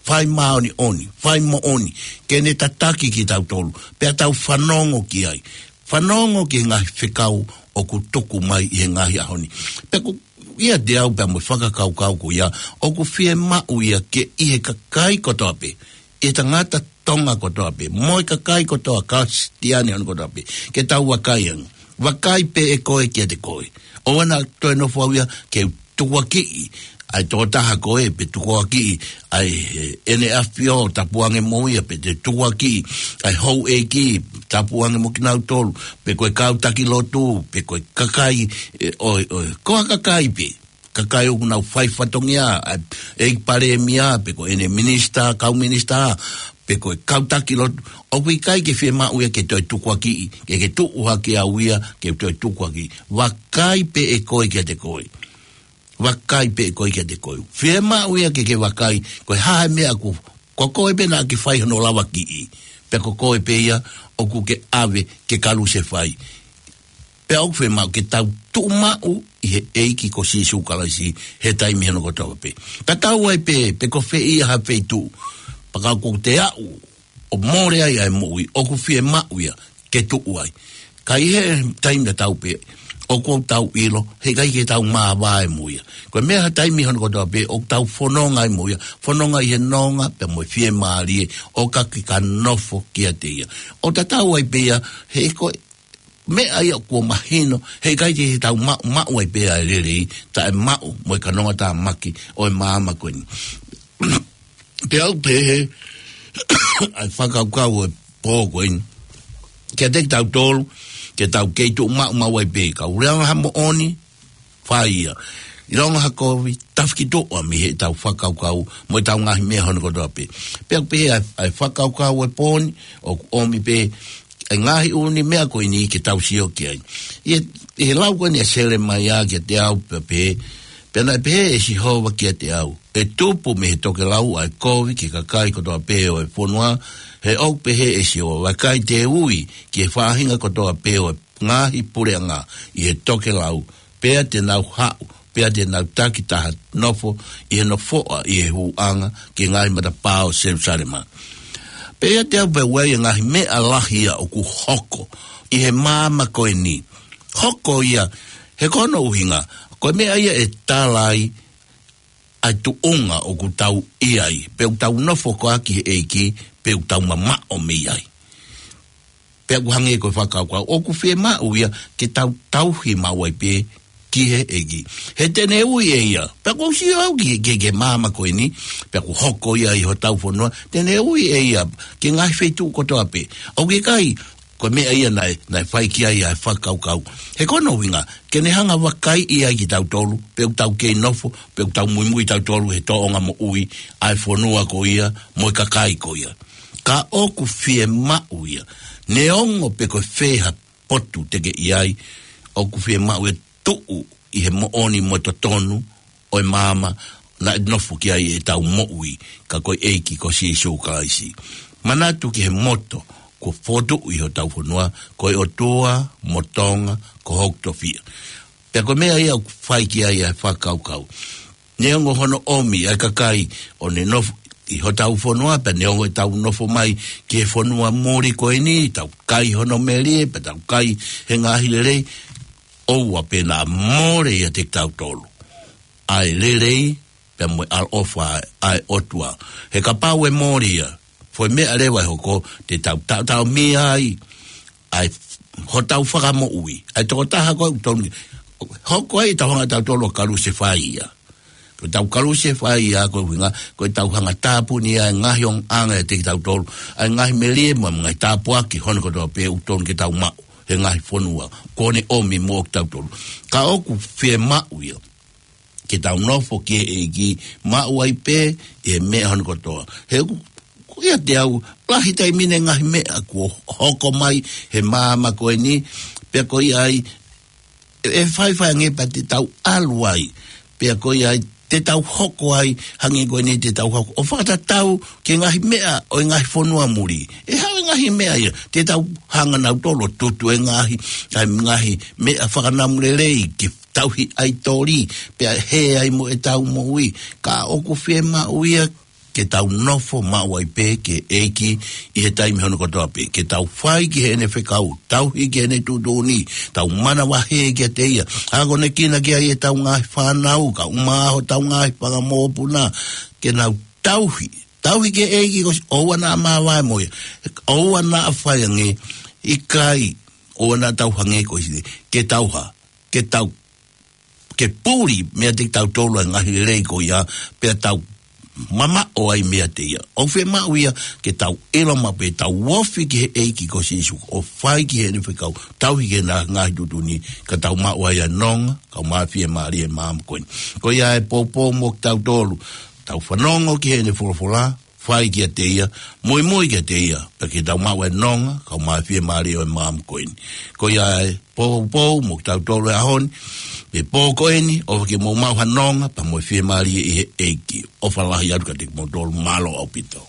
fai māʻoniʻoni, fai moʻoni, ke ne tataki kitautolu. Pea tau fanongo ki ai. Fanongo ki he ngaahi fekau ʻoku tuku mai ʻi he ngaahi ʻaho ni. Pea ʻoku ʻiate au pea mo e fakakaukau ko ia, ʻoku fiemaʻu ia ke ʻi he kakai kotoa pē, ʻi he tangata Tonga kotoa pē, mo e kakai kotoa, Kalisitiane hono kotoa pē, ke tau vakai ange. Vakai pē ʻe koe kiate koe. ʻOua naʻa toe nofo au ia ke tukuakiʻi ʻa e tokotaha ko ē, pe tukuakiʻi ʻa e, ʻe, ʻEne ʻAfio, tapu ange mo ia, pe te tukuakiʻi ʻa e houʻeiki, tapu ange mo kinautolu, pe ko e kau taki lotu, pe ko e kakai, ʻe, ʻo, ʻo, ko ha kakai pē. Kakai ʻoku nau fai fatongia, ʻa e ʻEiki Palēmia, pe ko ʻene minisitā, kau minisitā, pe ko e kau taki lotu, ʻoku ʻikai ke fiemaʻu ia ke toe tukuakiʻi, ke ke tuʻu hake au ia, ke toe tukuakiʻi. Vakai pē ʻe koe kiate koe. Vakai pē ʻe koe kiate koe. Fiemaʻu ia ke ke vakai, ko e hā e meʻa ʻoku, ko koe pē naʻa ke fai hono lavakiʻi. Pea ko koe pē ia ʻoku ke ʻave ke kalusefai. Pea ʻoku fiemaʻu ke tau tuʻumaʻu ʻi he ʻEiki ko Sīsū Kalaisi he taimi hono kotoa pē. Tatau ai pē, pe ko fē ia ha feituʻu. Pea kapau ʻoku te aʻu ʻo mole ai ʻa e moʻui, ʻoku fiemaʻu ia ke tuʻu ai. Ka ʻi he taimi tatau pē, ʻoku tau ʻilo, heʻikai ke tau māvae mo ia. Ko e meʻa ha taimi hono kotoa pē, ʻoku tau fononga ai mo ia. Fononga ʻi he nonga, pea mo e fiemālie, ʻo ka ke ka nofo kiate ia. ʻOku tatau ai pē ia, he ko e meʻa ia kuo mahino, heʻikai te tau maʻu, maʻu ai pē ʻa e lelei, taʻemaʻu mo e kanonga tāmaki ʻo e māmani ko eni. Pea u pehē, ʻa e fakakaukau ʻo e pō ko eni. Kiate kitautolu, ke tau kei tuʻumaʻu maʻu ai pē, ka ʻoku lea ha moʻoni, fai ia. ʻilonga ha kovi, tafi ki tuʻa mei heʻetau fakakaukau mo ʻetau ngaahi meʻa hono kotoa pē. Pea ʻoku pehē ʻa e, ʻa e fakakaukau ʻo e pō ni, ʻoku ʻomi pē ʻa e ngaahi ʻū meʻa ko eni ke tau sio ki ai. ʻI he, ʻi he lau ko eni ʻa Selemaia kiate au pea pehē, pea naʻe pehē ʻe Sihova kiate au, ʻE tupu mei he tokelau ʻa e kovi ki he kakai kotoa pē ʻo e fonua, he ʻoku pehē ʻe Sihova, vakai te u ui ki he faʻahinga kotoa pē ʻo e ngaahi puleʻanga ʻi he tokelau, pea te nau haʻu, pea te nau takitaha nofo ʻi he nofoʻa ʻi he hūʻanga ki he ngaahi matapā ʻo Selusalema. Pea ʻiate au pea ʻoku ʻi ai e ngaahi meʻa lahi ia ʻoku hoko ʻi he māmani ko eni. Hoko ia, he ko hono ʻuhinga, ko e meʻa ia ʻe tala ai ʻa e tuʻunga ʻoku tau ʻi ai, pe ʻoku tau nofo koā ki he ʻEiki, pe ʻoku tau mamaʻo mei ai. Pea ʻoku hangē ko e fakakaukau, ʻoku fiemaʻu ia ke tau tauhi maʻu ai pē ki he ʻEiki. He te ne ui ʻe ia, pea ʻoku ou sio au ki, ki, ki he māmani ko eni, pea ʻoku hoko ia ʻi hotau fonua, te ne ui ʻe ia ki he ngaahi feituʻu kotoa pē. ʻOku ʻikai, ko e meʻa ia naʻe, naʻe fai ki ai ʻa e fakakaukau. He ko hono ʻuhinga, ke ne hanga ʻo vakaiʻi ai kitautolu, pe ʻoku tau kei nofo, pe ʻoku tau muimui tautolu he tōʻonga moʻui ʻa e fonua ko ia, mo e kakai ko ia. Ka ʻoku fiemaʻu ia, neongo pe ko e fē ha potu te ke ʻi ai, ʻoku fiemaʻu ʻe tuʻu ʻi he moʻoni mo e totonu ʻo e māmani naʻe nofo ki ai ʻetau moʻui, ka ko e ʻEiki ko Sīsū Kalaisi. Manatu ki he moto kuo fokotuʻu ʻi hotau fonua, ko e ʻOtua mo Tonga ko hoku tofiʻa. Pea ko e meʻa ia ʻoku fai ki ai ʻa e fakakaukau. Neongo hono ʻomi ʻa e kakai ʻo ne nofo ʻi hotau fonua, pea neongo ʻetau nofo mai ki he fonua muli ko eni, tau kai hono melie, pea tau kai he ngaahi lelei, ʻoua pē naʻa mole ʻiate kitautolu ʻa e lelei, pea mo e ʻaloʻofa ʻa e ʻOtua. He kapau ʻe mole ia, foʻi meʻa leva ʻe hoko, te tau taʻotaʻomia ai ʻa e hotau fakamoʻui. ʻA e tokotaha ko ē ʻoku tonu ke hoko ai ʻetau hanga tautolu ʻo kalusefai ia. Ko ʻetau kalusefai ia ko e ʻuhinga, ko ʻetau hanga tāpuni ʻa e ngaahi ongoʻanga ʻiate kitautolu, ʻa e ngaahi melie mo e ngaahi tāpuaki hono kotoa pē ʻoku tonu ke tau maʻu he ngaahi fonua kuo ne ʻomi moʻo kitautolu. Ka ʻoku fiemaʻu ia ke tau nofo ki he ʻEiki, maʻu ai pē ʻi he meʻa hono kotoa. He ʻoku, ʻoku ʻiate au, lahi taimi ni e ngaahi meʻa kuo hoko mai he māmani ko eni, pea ko ia ai, ʻe, ʻe faifai ange pea te tau ʻalu ai, pea ko ia ai, te tau hoko ai, hangē ko eni te tau hoko ʻo fakatatau ki he ngaahi meʻa ʻo e ngaahi fonua muli. ʻE haʻu e ngaahi meʻa ia, te tau hanga nautolu ʻo tutu e ngaahi, ʻa e ngaahi meʻa fakanamu lelei ke tauhi ʻaitoli, pea hē ai mo ʻetau moʻui, ka ʻoku fiemaʻu ia ke tau nofo maʻu ai pē ki he ʻEiki ʻi he taimi hono kotoa pē, ke tau fai ki heʻene fekau, tauhi ki heʻene tuʻutuʻuni, tau manavahē kiate ia, akonekina ki ai ʻetau ngaahi fānau, kae ʻumaʻā hotau ngaahi fanga mokopuna, ke nau tauhi, tauhi ki he ʻEiki ko Sī-, ʻoua naʻa māvae mo ia, ʻoua naʻa fai ange, ʻikai, ʻoua naʻa tau hangē ko Sīsū, ke tau hā, ke tau, ke puli meiate kitautolu ʻa e ngaahi lelei ko ia, pea tau mamaʻo ai meiate ia. ʻOku fiemaʻu ia ke tau ʻilo maʻu pē, tau ofi ki he ʻEiki ko Sīsū, ʻo fai ki heʻene fekau, tauhi ki heʻene ngaahi tuʻutuʻuni, ka tau maʻu ai ʻa e nonga, kae ʻumaʻā e fiemālie ʻo e māmani ko eni. Ko ia e poupou moʻo kitautolu, tau fanongo ki heʻene folofola, fai kiate ia, muimui kiate ia, pea ke tau maʻu e nonga, kae ʻumaʻā e fiemālie ʻo e māmani ko eni. Ko ia e poupou moʻo kitautolu he ʻaho ni, mei he pō ko eni, ʻofa ke mou maʻu ha nonga, pea mo e fiemālie ʻi he ʻEiki. ʻOfa lahi atu kiate kimoutolu, mālō ʻaupito.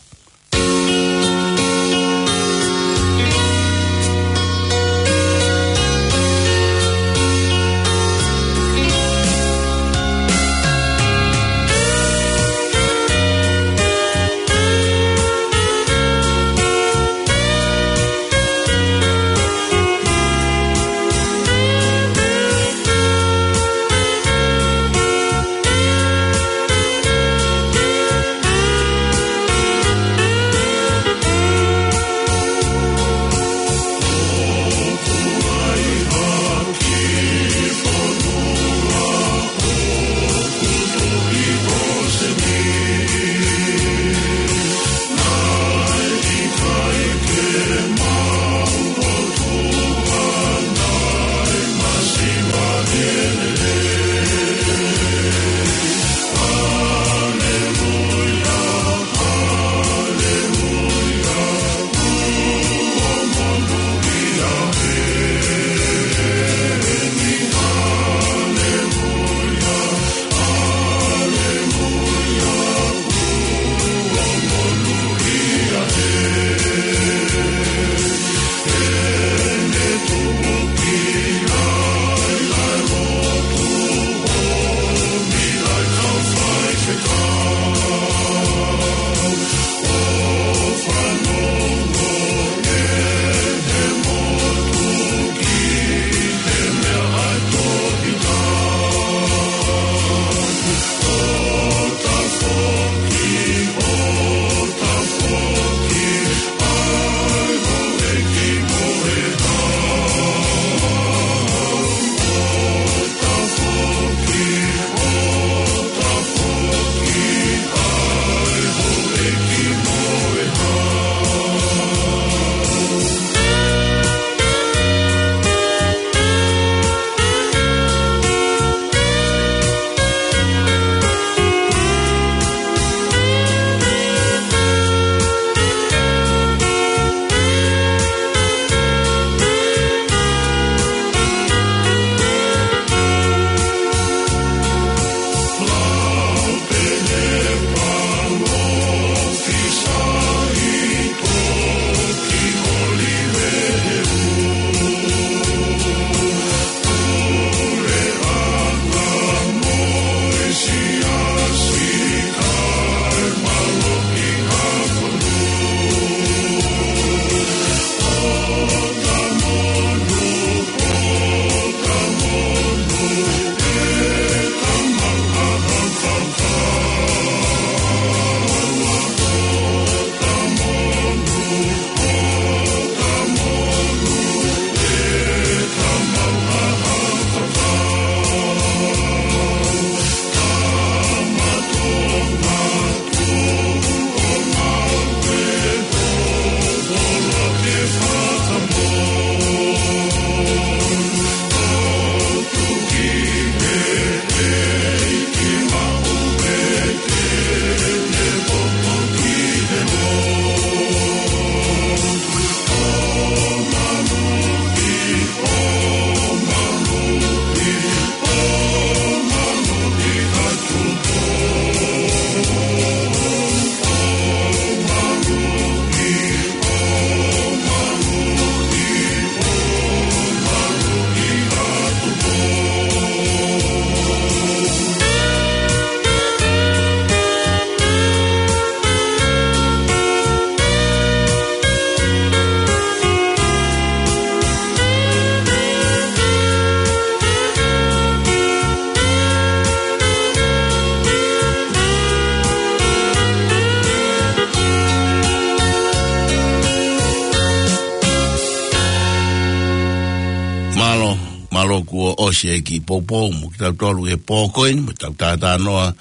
Loku o ʻosi e kiʻi poupou mo kitautolu he pō ko eni, mo tau tātānoa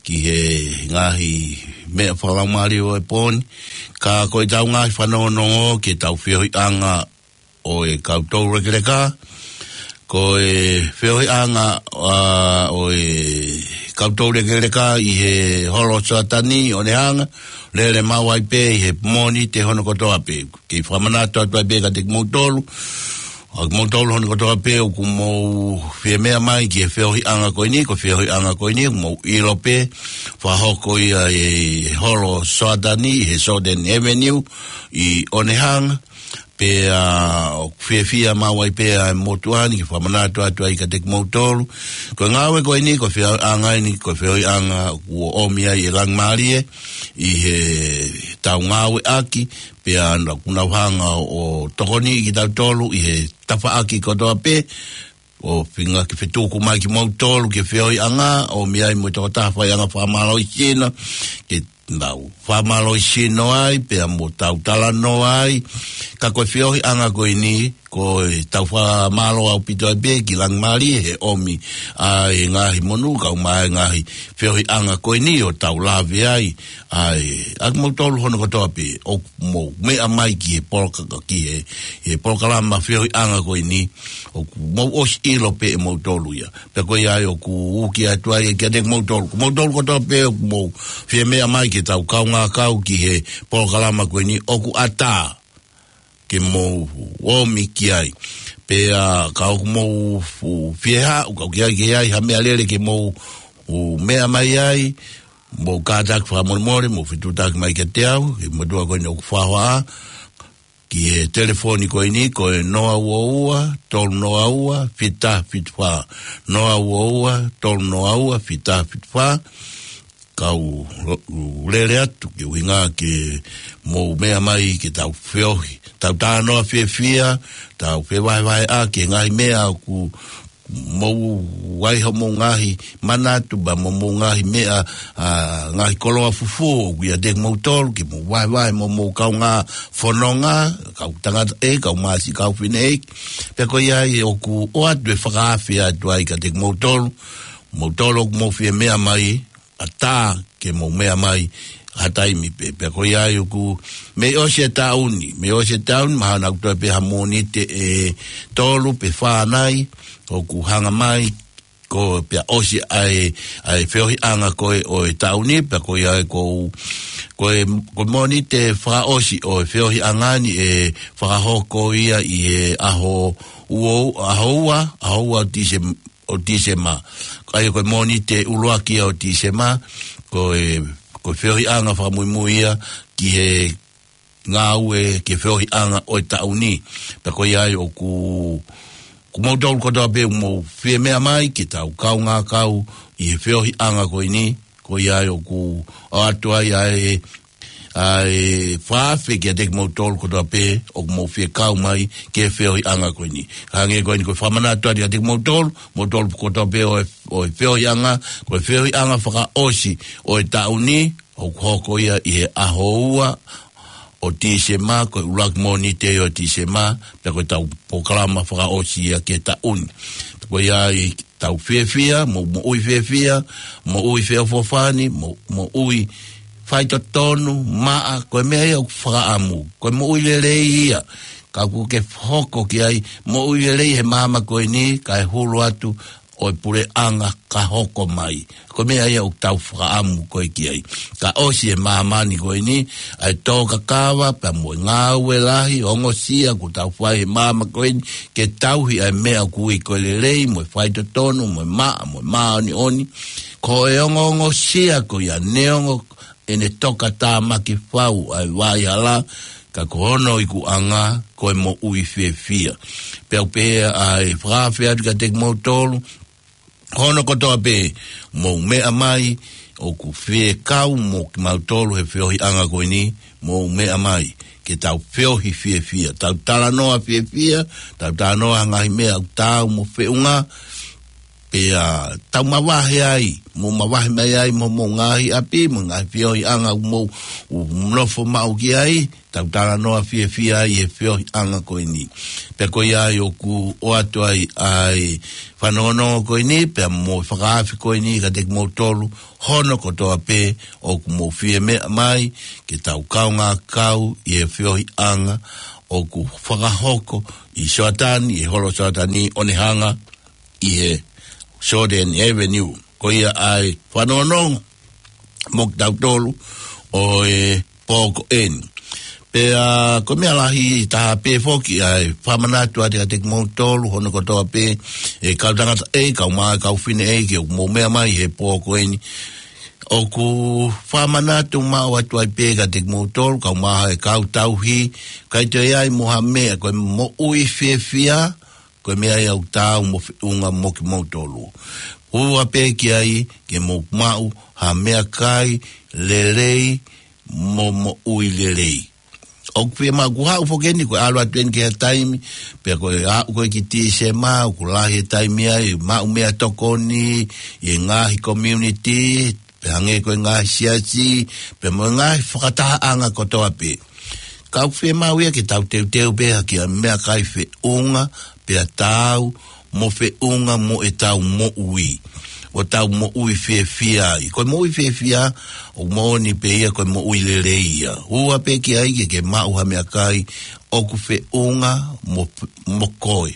ki he ngaahi meʻa fakalaumālie ʻo e pō ni. Ka ko ʻetau ngaahi fanongonongo ki heʻetau feohiʻanga ʻo e kau toulekeleka. Ko e feohiʻanga, ā, ʻo e kau toulekeleka ʻi he holo Soatani ʻo Onehunga, lele maʻu ai pē ʻi he Mōnite hono kotoa pē. Kei fakamanatu atu ai pē kiate kimoutolu, ʻa kimoutolu hono kotoa pē ʻoku mou fie meʻa mai ki he feohiʻanga ko eni, ko e feohiʻanga ko eni, mou ʻilo pē, fakahoko ia ʻi he holo Soatani, he Soden Avenue, ʻi Onehunga, pea ʻoku fiefia maʻu ai pē ʻa e motuʻa ni ke fakamanatu atu ai kiate kimoutolu. Ko e ngāue ko eni, ko e feohiʻanga eni, ko e feohiʻanga kuo ʻomi ai e Langimālie ʻi heʻetau ngāueʻaki, pea naʻa ku nau hanga ʻo tokoniʻi kitautolu ʻi he tafaʻaki kotoa pē, ʻo feinga ke fetuku mai kimoutolu ki he feohiʻanga, ʻomi ai mo e tokotaha faiʻanga fakamālohisino, ke nau fakamālohisino ai, pea mo tau talanoa ai. Ka ko e feohiʻanga ko eni, ko ʻetau fakamālō ʻaupito ai pē ki Langimālie he ʻomi ʻa e ngaahi monū, kau mai ngaahi feohiʻanga ko eni ʻo tau lave ai, ʻa e, ʻa kimoutolu hono kotoa pē, ʻoku mou meʻa mai ki he poloka-, ki he, he polokalama feohiʻanga ko eni, ʻoku mou ʻosi ʻilo pē ʻe moutolu ia. Pea ko ia ai ʻoku uki atu ai kiate kimoutolu. Ko moutolu kotoa pē ʻoku mou fie meʻa mai ke tau kaungā kau ki he polokalama ko eni ʻoku ʻatā ke mou ōmi ki ai. Pea ka ʻoku mou fu-, fie haʻu, ka ʻoku ʻi ai ke ʻi ai ha meʻalele ke mou u meʻa mai ai, mou kātaki fakamolemole, mou fetuʻutaki mai kiate au, he motuʻa ko eni ʻoku fakahoa, ki he telefoni ko eni, ko e noa ua ua, tolu noa ua, fita fitu fā. Noa ua ua, tolu noa ua, fita fitu fā. Kau lo-, lele atu ke ʻuhinga ke mou meʻa mai ke tau feohi. Tau talanoa fiefia, tau fevahevaheʻaki e ngaahi meʻa ʻoku mou ʻi ai hoʻomou ngaahi manatu, pea mo hoʻomou ngaahi meʻa, ā, ngaahi koloa fufū ʻoku ʻiate kimoutolu, ke mou vahevahe mo hoʻomou kaungā fononga, kau tangata ʻeiki, kau masiʻi, kau fineʻeiki. Pea ko ia ai ʻoku ʻoatu e fakaafe atu ai kiate kimoutolu, moutolu ʻoku mou fie meʻa mai, ʻatā ke mou meʻa mai ha taimi pē. Pea ko ia ai ʻoku mei ʻosi e taʻu ni, mei ʻosi e taʻu ni, mahalo naʻa ku toe pē ha Mōnite ʻe tolu pe fā nai, ʻoku hanga mai, ko pea ʻosi ʻa e, ʻa e feohiʻanga ko ē ʻo e taʻu ni, pea ko ia ai ko, ko e, ko e Mōnite fakaʻosi ʻo e feohiʻanga ni ʻe fakahoko ia ʻi he ʻaho ua, ʻaho ua, ʻaho ua Tīsem-, ʻo Tīsema. ʻA ia ko e Mōnite ʻuluaki ʻo Tīsema, ko e, ko e feohiʻanga fakamuimui ia ki he ngāue, ki he feohiʻanga ʻo e taʻu ni. Pea ko ia ai ʻoku, ko moutolu kotoa pē ʻoku mou fie meʻa mai ke tau kaungā kau ʻi he feohiʻanga ko eni, ko ia ai ʻoku ʻoatu ai ʻa e, ʻa e fakaafe kiate kimoutolu kotoa pē ʻoku mou fie kau mai ki he feohiʻanga ko eni. Ka hangē ko eni ko e fakamanatu atu kiate kimoutolu, moutolu kotoa pē ʻo e, ʻo e feohiʻanga, ko e feohiʻanga fakaʻosi ʻo e taʻu ni, ʻoku hoko ia ʻi he ʻaho ua ʻo Tīsema, ko e ʻuluaki Mōnite ʻo Tīsema, pea ko ʻetau polokalama fakaʻosi ia ki he taʻu ni. Ko ia ai tau fiefia, mo, moʻui fiefia, moʻui feʻofoʻofani, mo, moʻui faitotonu, maʻa, ko e meʻa ia ʻoku fakaʻamu, ko e moʻui lelei ia, ka ʻoku ke hoko ki ai, moʻui lelei he māmani ko eni, kae hulu atu ʻo e puleʻanga ka hoko mai. Ko e meʻa ia ʻoku tau fakaʻamu ko ē ki ai. Ka ʻosi e māmani ko eni, ʻa e tō kakava, pea mo e ngāue lahi, ongosia ʻoku tau fai he māmani ko eni, ke tauhi ʻa e meʻa ʻoku ui ko e lelei, mo e faitotonu, mo e maʻa, mo e māʻoniʻoni. Ko e ongoongosia ko ia, neongo ʻene tokatāmaki fau ʻa e vai hala, ka ko hono ikuʻanga, ko e moʻui fiefia. Pea ʻoku pehē ʻa e fakaafe atu kiate kimoutolu, hono kotoa pē, mou meʻa mai, ʻoku fie kau mo kimautolu he feohiʻanga ko eni, mou meʻa mai, ke tau feohi fiefia, tau talanoa fiefia, tau talanoa ngaahi meʻa ʻoku taau mo feʻunga, Pea tau mavahe ai, mou mavahe mai ai mo homou ngaahi ʻapi, mo e ngaahi feohiʻanga ʻoku mou nofo maʻu ki ai, tau talanoa fiefia ai he feohiʻanga ko eni. Pea ko ia ai ʻoku ʻoatu ai ʻa e fanongonongo ko eni, pea mo e fakaafe ko eni kiate kimoutolu, hono kotoa pē ʻoku mou fie meʻa mai, ke tau kaungā kau ʻi he feohiʻanga ʻoku fakahoko ʻi Soatani, ʻi he holo Soatani ʻo ne hanga ʻi he Jordan Avenue. Ko ia ai fanongonongo mo kitautolu ʻo e pō ko eni. Pea ko e meʻa lahi taha pē foki ʻa e fakamanatu atu kiate kimoutolu, hono kotoa pē, ʻe kau tangata ʻe, kau mā, kau fefine ʻe, ke mou meʻa mai he pō ko eni. ʻOku fakamanatu maʻu atu ai pē kiate kimoutolu, kau mā, ʻe kau tauhi, ʻikai toe ʻi ai mo ha meʻa, ko e moʻui fiefia, ko e meʻa ia ʻoku taau mo feʻunga mo kimoutolu. ʻUa pē ki ai ke mou maʻu ha meʻakai lelei mo moʻui lelei. ʻOku fiemaʻu, ʻoku haʻu foki eni, ko e ʻalu atu eni ki he taimi, pea ko e aʻu ko ē ki Tīsema, ʻoku lahi e taimi ai, maʻu meʻatokoni ʻi he ngaahi community, pea hangē ko e ngaahi siasi, pea mo e ngaahi fakatahaʻanga kotoa pē. Ka ʻoku fiemaʻu ia ke tau teuteu pē ha kiʻi meʻakai feʻunga, pea taau mo feʻunga mo ʻetau moʻui. ʻO tau moʻui fiefia ai. Ko e moʻui fiefia, ʻoku moʻoni pē ia ko e moʻui lelei ia. ʻUa pē ki ai ke ke maʻu ha meʻakai ʻoku feʻunga mo, mo koe.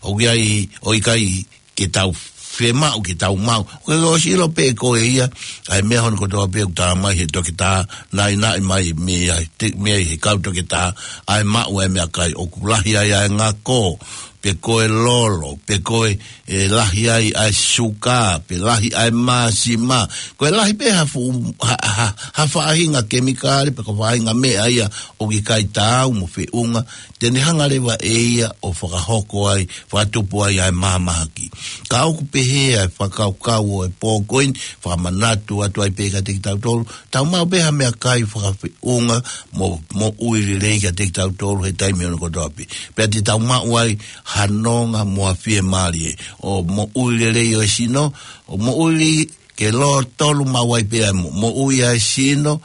ʻOku ʻi ai, ʻoku ʻikai ke tau fiemaʻu ke tau maʻu. Ko e ʻosi ʻilo pē ʻe koe ia, ʻa e meʻa hono kotoa pē ʻoku tala mai he toketā, naʻinaʻi mai mei ai, te, mei ai he kau toketā, ʻa e maʻu ʻa e meʻakai ʻoku lahi ai ʻa e ngako, pe ko e lolo, pe ko e, ʻe lahi ai ʻa e suka, pe lahi ʻa e māsima. Ko e lahi pē ha fuʻu, ha, ha, ha faʻahinga kemikale, pe ko e faʻahinga meʻa ia ʻoku ʻikai taau mo feʻunga, te ne hanga leva ʻe ia ʻo fakahoko ai, fakatupu ai ʻa e mahamahaki. Ka ʻoku pehē ʻa e fakakaukau ʻo e pō ko eni, fakamanatu atu ai pē kiate kitautolu, tau maʻu pē ha meʻakai fakafeʻunga mo, moʻui lelei kiate kitautolu he taimi hono kotoa pē. Pea te tau maʻu ai ha nonga mo ha fiemālie. ʻO moʻui lelei ʻo e sino, ʻo moʻui ke lōtolu maʻu ai pē ʻa e mo, moʻui ʻa e sino,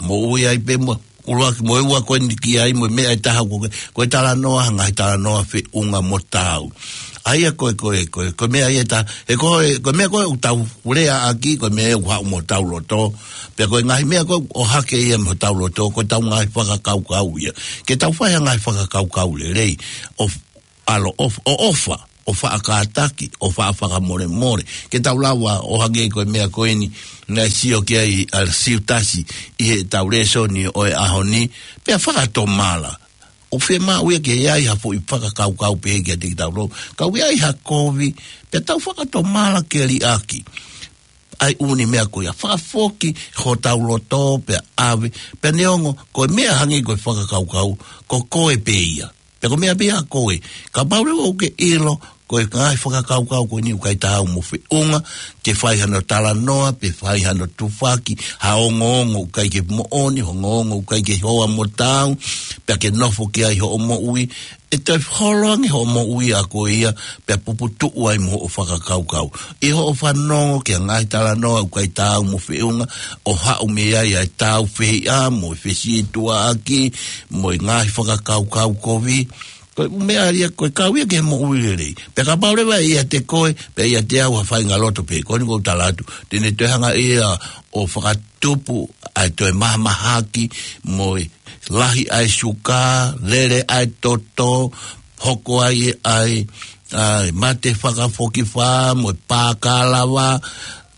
moʻui ai pē mo, ʻuluaki mo e ua ko eni ki ai mo e meʻa ʻe taha ko e, ko e talanoa, ngaahi talanoa feʻunga mo taau. ʻA ia ko e, ko e, ko e, ko e meʻa ia ʻe taha, he ko e, ko e meʻa ko ē ʻoku tau lea ʻaki, ko e meʻa ʻoku haʻu mo hotau loto, pea ko e ngaahi meʻa ko ē ʻoku ʻohake ia mo hotau loto, ko ʻetau ngaahi fakakaukau ia. Ke tau fai ha ngaahi fakakaukau lelei, ʻo ʻaloʻofa, ʻo ʻofa, ʻo faʻa kātaki, ʻo faʻa fakamolemole. Ke tau lava ʻo hangē ko e meʻa ko eni, naʻe sio ki ai ʻa Siutasi ʻi heʻetau lēsoni ʻo e ʻaho ni, pea fakatomala. ʻOku fiemaʻu ia ke ʻi ai ha foʻi fakakaukau pehē kiate kitautolu. Ka ʻoku ʻi ai ha kovi, pea tau fakatomala ke liʻaki ʻa e ʻū meʻa ko ia. Fakafoki hotau loto pea ʻave, pea neongo, ko e meʻa hangē ko e fakakaukau, ko koe pē ia. Pea ko e meʻa pē ia ko ē. Kapau leva ʻoku ke ʻilo, ko e ngaahi fakakaukau ko eni ʻoku ʻikai taau mo feʻunga, ke fai hano talanoa, pe fai hano tufaki, ha ongoongo ʻoku ʻikai ke moʻoni, ongoongo ʻoku ʻikai ke hoa mo taau, pea ke nofo ki ai hoʻo moʻui, ʻe toe holo ange hoʻo moʻui ʻa koe ia, pea puputuʻu ai mo hoʻo fakakaukau. ʻI hoʻo fanongo ki ha ngaahi talanoa ʻoku ʻikai taau mo feʻunga, ʻo haʻu mei ai ʻa e tāufehiʻa, mo e fesītuʻaʻaki, mo e ngaahi fakakaukau kovi, ko e meʻa ia ko e kau ia ki he moʻui lelei. Pea kapau leva ʻe ʻiate koe, pea ʻiate au ha faʻahinga loto pē, ko eni ʻoku ou tala atu, te ne toe hanga ia ʻo fakatupu ʻa e toe mahamahaki, mo e lahi ʻa e suka, lele ʻa e toto, hoko ai ʻa e, ʻa e mate fakafokifā, mo e pākalava,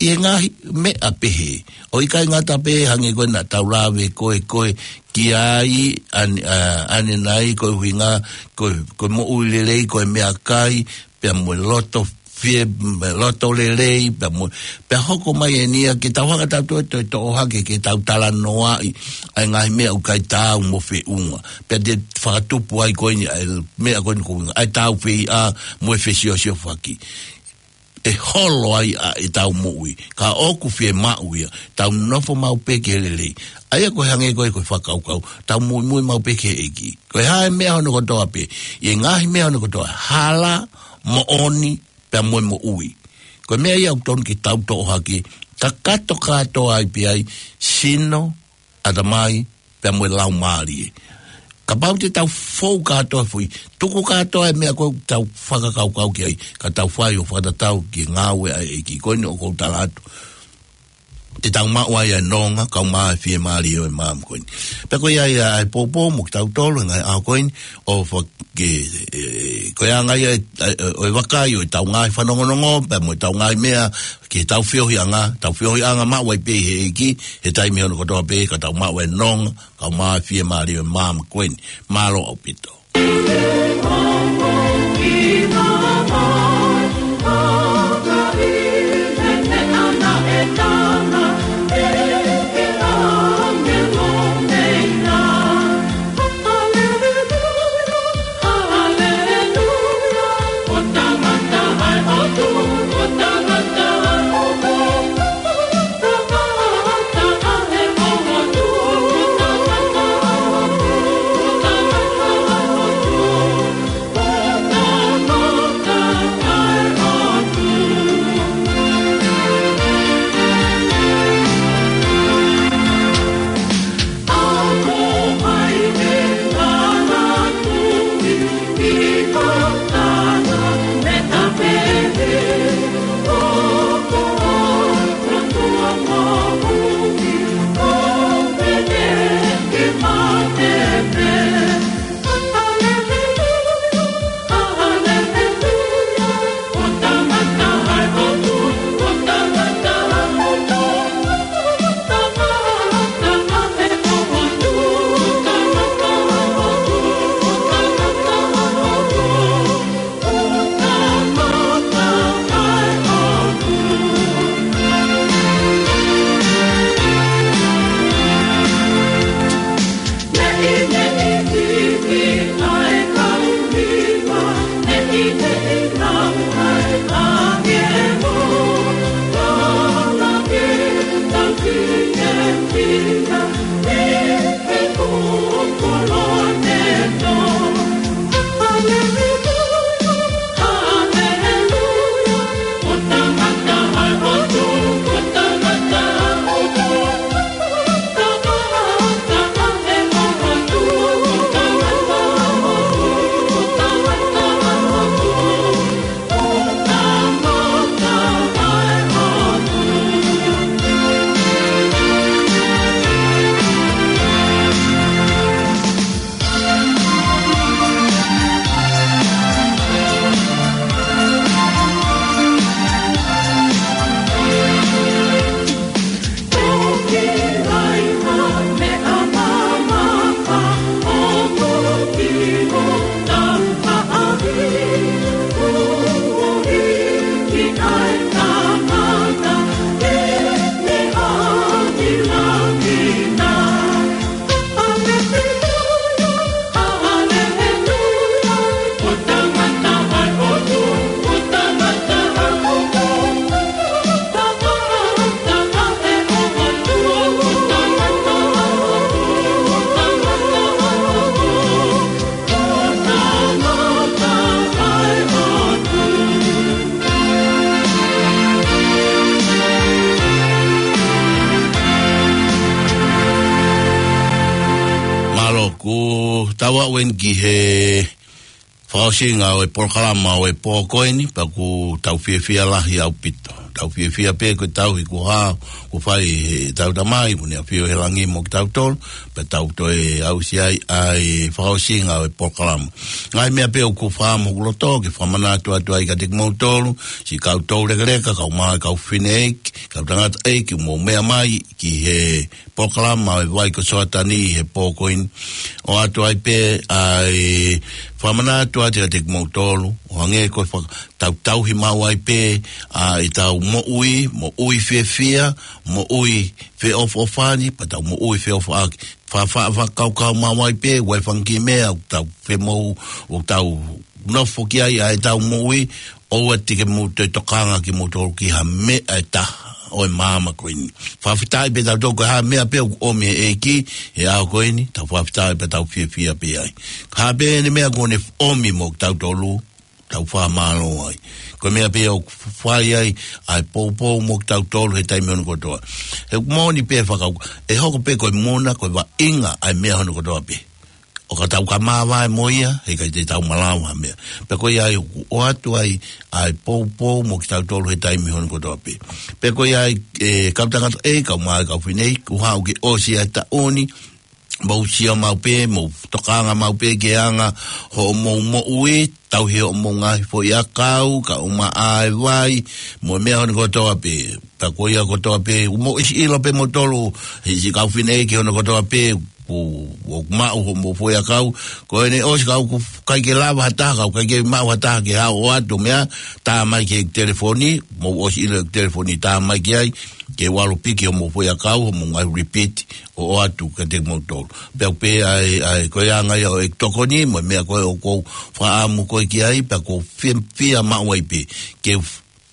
ʻi he ngaahi meʻa pehē. ʻOku ʻikai ngata pē hangē ko ē naʻa tau lave ko ē, ko ē ki ai, ʻane, ʻa, ʻanenai, ko e ʻuhinga, ko e, ko e moʻui lelei, ko e meʻakai, pea mo e loto fie, mo e loto lelei, pea mo, pea hoko mai eni ia ke tau hanga tautolu ʻo toe toʻo hake ke tau talanoaʻi ʻa e ngaahi meʻa ʻoku ʻikai taau mo feʻunga. Pea te fakatupu ai ko eni ʻa e meʻa ko eni ko e ʻuhinga, ʻa e tāufehiʻa mo e fesiosiofaki. ʻE holo ai ʻa ʻetau moʻui. Ka ʻoku fiemaʻu ia, tau nofo maʻu pē ki he lelei. ʻA ia ko e hangē ko ē ko e fakakaukau, tau muimui maʻu pē ki he ʻEiki. Ko e hā e meʻa hono kotoa pē, ʻi he ngaahi meʻa hono kotoa, hala, moʻoni, pea mo e moʻui. Ko e meʻa ia ʻoku totonu ke tau toʻo hake, kakato kātoa ai pē ai, sino, ʻatamai, pea mo e laumālie. Kapau te tau fou kātoa foʻi, tuku kātoa e meʻa ko ē ʻoku tau fakakaukau ki ai, ka tau fai ʻo fakatatau ki he ngāue ʻa e ʻEiki. Ko eni ʻoku ou tala atu, te tau maʻu ai e nonga, kau mai e fiemālie ʻo e maama ko eni. Pea ko ia ia ʻa e poupou mo kitautolu he ngaahi ʻaho ko eni, ʻo fake, e, ko e anga ia e, e, ʻo e vakai ʻo e tau ngaahi fanongonongo, pea mo e tau ngaahi meʻa, ki he tau feohiʻanga, tau feohiʻanga maʻu ai pē ʻi he ʻEiki, he taimi hono kotoa pē, ka tau maʻu e nonga, kau mai e fiemālie ʻo e maama ko eni. Mālō ʻaupito. Mālō, kuo tau aʻu eni ki he fakaʻosinga ʻo e polokalama ʻo e pō ko eni, pea ʻoku tau fiefia lahi ʻaupito. Tau fiefia pē ko e tauhi kuo hā, kuo fai ʻe heʻetau Tamai, ʻoku ne ʻafio ʻi he langi mo kitautolu, pea tau toe aʻusia ai ʻa e fakaʻosinga ʻo e polokalama. Ngaahi meʻa pē ʻoku fai mo hoku loto ke fakamanatu atu ai kiate kimoutolu, siʻi kau toulekeleka, kau mā, kau fineʻeiki, kau tangataʻeiki, mou meʻa mai ki he polokalama ʻo e Vai ko Soatani he pō ko eni. ʻOatu ai pē ʻa e fakamanatu atu kiate kimoutolu, ʻo hangē ko e faka-, tau tauhi maʻu ai pē ʻa ʻetau moʻui, moʻui fiefia, moʻui feʻofoʻofani, pea tau moʻui feʻofaʻaki. Fa-, fa-, fakakaukau maʻu ai pē, ʻoku ʻi ai e fanga kiʻi meʻa ʻoku tau femoʻu, ʻoku tau nofo ki ai ʻa ʻetau moʻui, ʻoua te ke mou toe tokanga kimoutolu ki ha meʻa ʻe taha ʻo e maama ko eni. Fakafetaʻi pē tautolu ko e hā e meʻa pē ʻoku ʻomi ʻe he ʻEiki he ʻaho ko eni, tau fakafetaʻi pea tau fiefia pē ai. Hā pē ʻene meʻa kuo ne ʻomi mo tautolu, tau fakamālō ai. Ko e meʻa pē ʻoku fai ai ʻa e poupou mo kitautolu he taimi hono kotoa. He ʻoku moʻoni pē fakau, ʻe hoko pē ko e muna, ko e vaʻinga ʻa e meʻa hono kotoa pē. ʻO ka tau ka māvae mo ia, heʻikai te tau malava ha meʻa. Pea ko ia ai ʻoku ʻoatu ai ʻa e poupou mo kitautolu he taimi hono kotoa pē. Pea ko ia ai, ʻe, kau tangata ʻe, kau mai, kau fineʻeiki, kuo haʻu ke ʻosi ʻa e taʻu ni, mou sio maʻu pē, mou tokanga maʻu pē ki he anga hoʻomou moʻui, tauhi hoʻomou ngaahi foʻiʻakau, kau maʻa e vai, mo e meʻa hono kotoa pē. Pea ko ia kotoa pē, ʻoku mou ʻosi ʻilo pē moutolu, he siʻi kau fineʻeiki hono kotoa pē, ʻoku, ʻoku maʻu hoʻomou foʻiʻakau, ko ʻene ʻosi ka ʻoku ʻikai ke lava ha taha, ka ʻoku ʻikai ke maʻu ha taha ke haʻu ʻo ʻoatu meʻa, tā mai ki he telefoni, mou ʻosi ʻilo e telefoni, tā mai ki ai, ke u ʻalu piki hoʻomou foʻiʻakau, hoʻomou ngaahi repeat, ʻo ʻoatu kiate kimoutolu. Pea pē ʻa e, ʻa e, ko e anga ia ʻo e tokoni, mo e meʻa ko ē ʻoku ou fakaʻamu koe ki ai, pea ʻoku ou fie, fiemaʻu ai pē, ke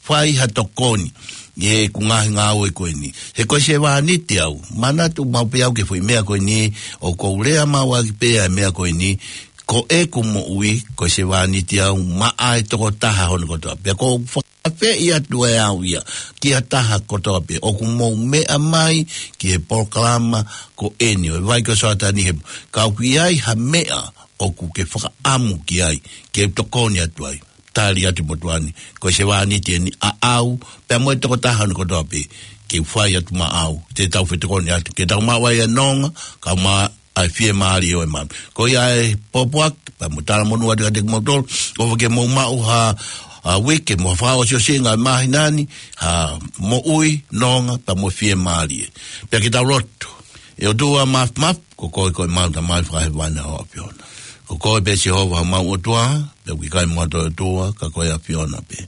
fai ha tokoni ʻi heʻeku ngaahi ngāue ko eni. He ko e sevāniti au, manatu maʻu pē au ki he foʻi meʻa ko eni, ʻoku ou lea maʻu ʻaki pē ʻa e meʻa ko eni, ko ʻeku moʻui, ko e sevāniti au, maʻa e tokotaha hono kotoa. Pea ʻoku ou fakaafeʻi atu ʻe au ia, ki ha taha kotoa pē, ʻoku mou meʻa mai ki he polokalama ko eni, ʻo e Vai ko Soatani he, ka ʻoku ʻi ai ha meʻa ʻoku ke fakaʻamu ki ai, ke tokoni atu ai. Tali atu motuʻa ni, ko e sevāniti eni ʻaʻau, pea mo e tokotaha hono kotoa pē, ke fai atu maʻau, te tau fetokoni atu, ke tau maʻu ai ʻa e nonga, kau maʻa e fiemālie ʻo e maama. Ko ia e pōpoaki, pea mo e talamonū atu kiate kimoutolu, ʻofa ke mou maʻu ha, ʻa, uike, mo e fakaʻosiʻosinga ʻo e māhina ni, ha moʻui, nonga, pea mo e fiemālie. Pea ke tau lotu. ʻE ʻOtua Māfimafi, ko koe ko ʻemau Tamai fakahēvani ʻa e ʻAfiona. Ko koe pē Sihova homau ʻOtua, pea ʻoku ʻikai mo ha toe ʻOtua, ka ko e ʻAfiona pē.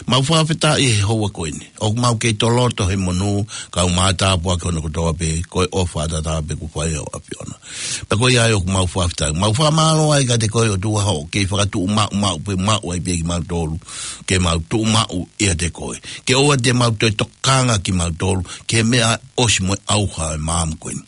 Mau fakafetaʻi he houa ko eni. ʻOku mau kei toloto he monū, kau mai tāpuaki hono kotoa pē, ko e ʻofa ʻataʻatā pē kuo fai ʻe he ʻAfiona. Pea ko ia ai ʻoku mau fakafetaʻi. Mau fakamālō ai kiate koe ʻOtua hoʻo kei fakatuʻumaʻu, maʻu pē, maʻu ai pē kimautolu. Ke mau tuʻumaʻu ʻiate koe. Ke ʻoua te mau toe tokanga kimautolu, ki he meʻa ʻosi mo e ʻauha ʻo e maama ko eni.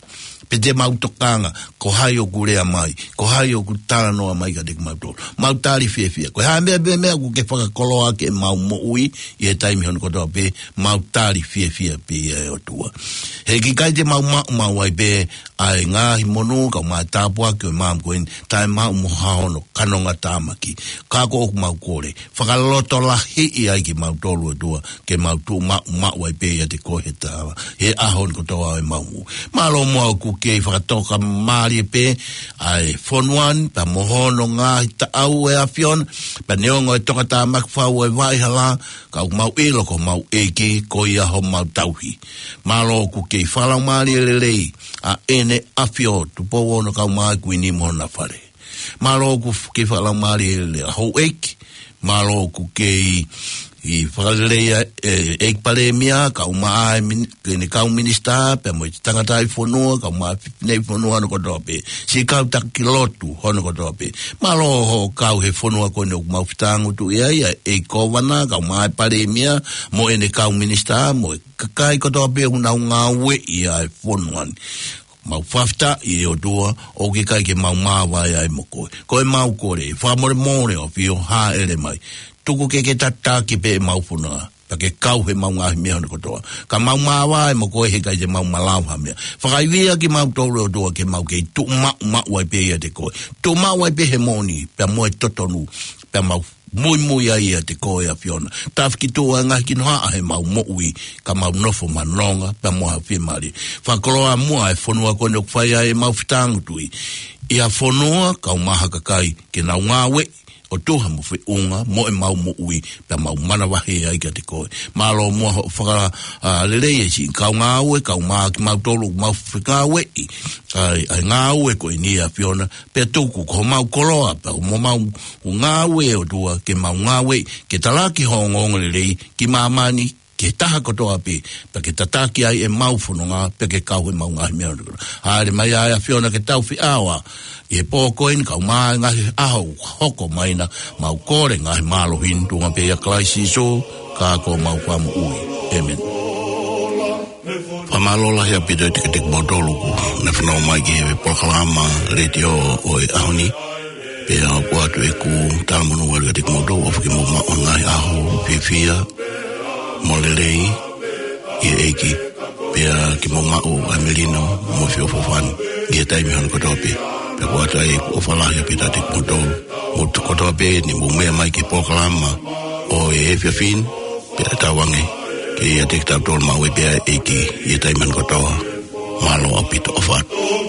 Pe te mau tokanga, ko hai ʻoku lea mai, ko hai ʻoku talanoa mai kiate kimautolu. Mau tali fiefia. Ko e hā meʻa, meʻa, meʻa ʻoku ke fakakoloa ki heʻemau moʻui, ʻi he taimi hono kotoa pē, mau tali fiefia pē ia ʻe ʻOtua. He ʻikai te mau maʻu, maʻu ai pē, ʻa e ngaahi monū, kau mai tāpuaki ʻo e maama ko eni, taʻe maʻu mo ha hono kanongatāmaki. Ka ko ʻoku mau kole, fakalotolahiʻi ai kimautolu ʻOtua, ke mau tuʻumaʻu, maʻu ai pē ʻiate koe he tala, he ʻaho ni kotoa ʻo ʻemau moʻui. Mālō muʻa ʻoku kei fakatoka mālie pē, ʻa e fonua ni, pea mo hono ngaahi taʻau ʻe ʻAfiona, pea neongo e tokatāmaki fau ʻo e vaʻa hala, ka ʻoku mau ʻilo ko homau ʻEiki, ko ia homau tauhi. Mālō ʻoku kei fakalaumālie lelei, ʻa ʻEne ʻAfio, Tupou Ono kau mai Kuini mo hona fale. Mālō ʻoku f-, kei fakalaumālie lelei ʻa houʻeiki. Mālō ʻoku kei fakalelei ʻa e, ʻEiki Palēmia, kau mai e min-, ʻene kau minisitā, pea mo e tangataʻi fonua, kau mai e fineʻeiki fonua hono kotoa pē. Siʻi kau taki lotu hono kotoa pē. Mālō hoʻo kau he fonua ko eni ʻoku mau fetāngutuʻi ai, ʻa e ʻEiki Kōvana, kau mai e Palēmia, mo ʻene kau minisitā, mo e kakai kotoa pē ʻoku nau ngāueʻi ʻa e fonua ni. Mau fakafetaʻi ʻe ʻOtua, ʻoku ʻikai ke mau māvae ai mo koe. Ko ʻemau kole, fakamolemole ʻAfio, hāʻele mai. Tuku ke ke tataki pē ʻemau fonua, pea ke kau heʻemau ngaahi meʻa hono kotoa. Ka mau māvae mo koe heʻikai te mau malava ha meʻa. Fakaivia kimautolu ʻOtua ke mau kei tuʻumaʻu, maʻu ai pē ʻiate koe. Tuʻumaʻu ai pē he moʻoni, pea mo e totonu, pea mau muimui ai ʻiate koe ʻAfiona. Tāfiki tuʻu ʻa e ngaahi kinohaʻa heʻemau moʻui, ka mau nofo maʻu nonga, pea mo ha fiemālie. Fakakoloa muʻa e fonua ko eni ʻoku fai ai ʻemau fetāngutuʻi. ʻI ha fonua, kau mai ha kakai, ke nau ngāueʻi, ʻo tuha mo feʻunga, mo ʻemau moʻui, pea mau manavahē ai kiate koe. Mālō muʻa hoʻo faka-, ʻa, lelei e siʻi kau ngāue, kau mai kimautolu, mau fengāueʻi. ʻA e, ʻa e ngāue ko eni ʻAfiona, pea tuku ko homau koloa, pea mo homau ngāue ʻOtua, ke mau ngāue, ke talaki ho ongoongolelei, ki māmani, ki he taha kotoa pē, pea ke tataki ai ʻemau fononga, pea ke kau heʻemau ngaahi meʻa. Hāʻele mai ʻa e ʻAfiona ke tau fiʻaoa, ʻi he pō ko eni kau mai ngaahi ʻaho hoko mai na, mau kole ngaahi mālohi ni tuʻunga pē ʻia Kalaisi Sīsū, ka ko homau Fakamoʻui. ʻĒmeni. Fakamālō lahi ʻaupito ʻiate kimoutolu kuo ne fanongo mai ki he polokalama letiō ʻo e ʻaho ni. Pea ʻoku ʻoatu ʻeku talamonū ʻalu kiate kimoutolu, ʻofa ke mou maʻu ʻa e ngaahi ʻaho fiefia mo lelei ʻi he ʻEiki. Pea ke mou maʻu ʻa e melino mo e feʻofoʻofani ʻi he taimi hono kotoa pē. Pea ʻoku ʻoatu ai ʻeku ʻofa lahi ʻaupito kiate kimoutolu. Mou tuʻu kotoa pē ni mou meʻa mai ki he polokalama ʻo e efiafi ni, pea tauange ke ʻiate kitautolu maʻu ai pē ʻa e ʻEiki ʻi he taimi hono kotoa. Mālō ʻaupito, ʻofa atu.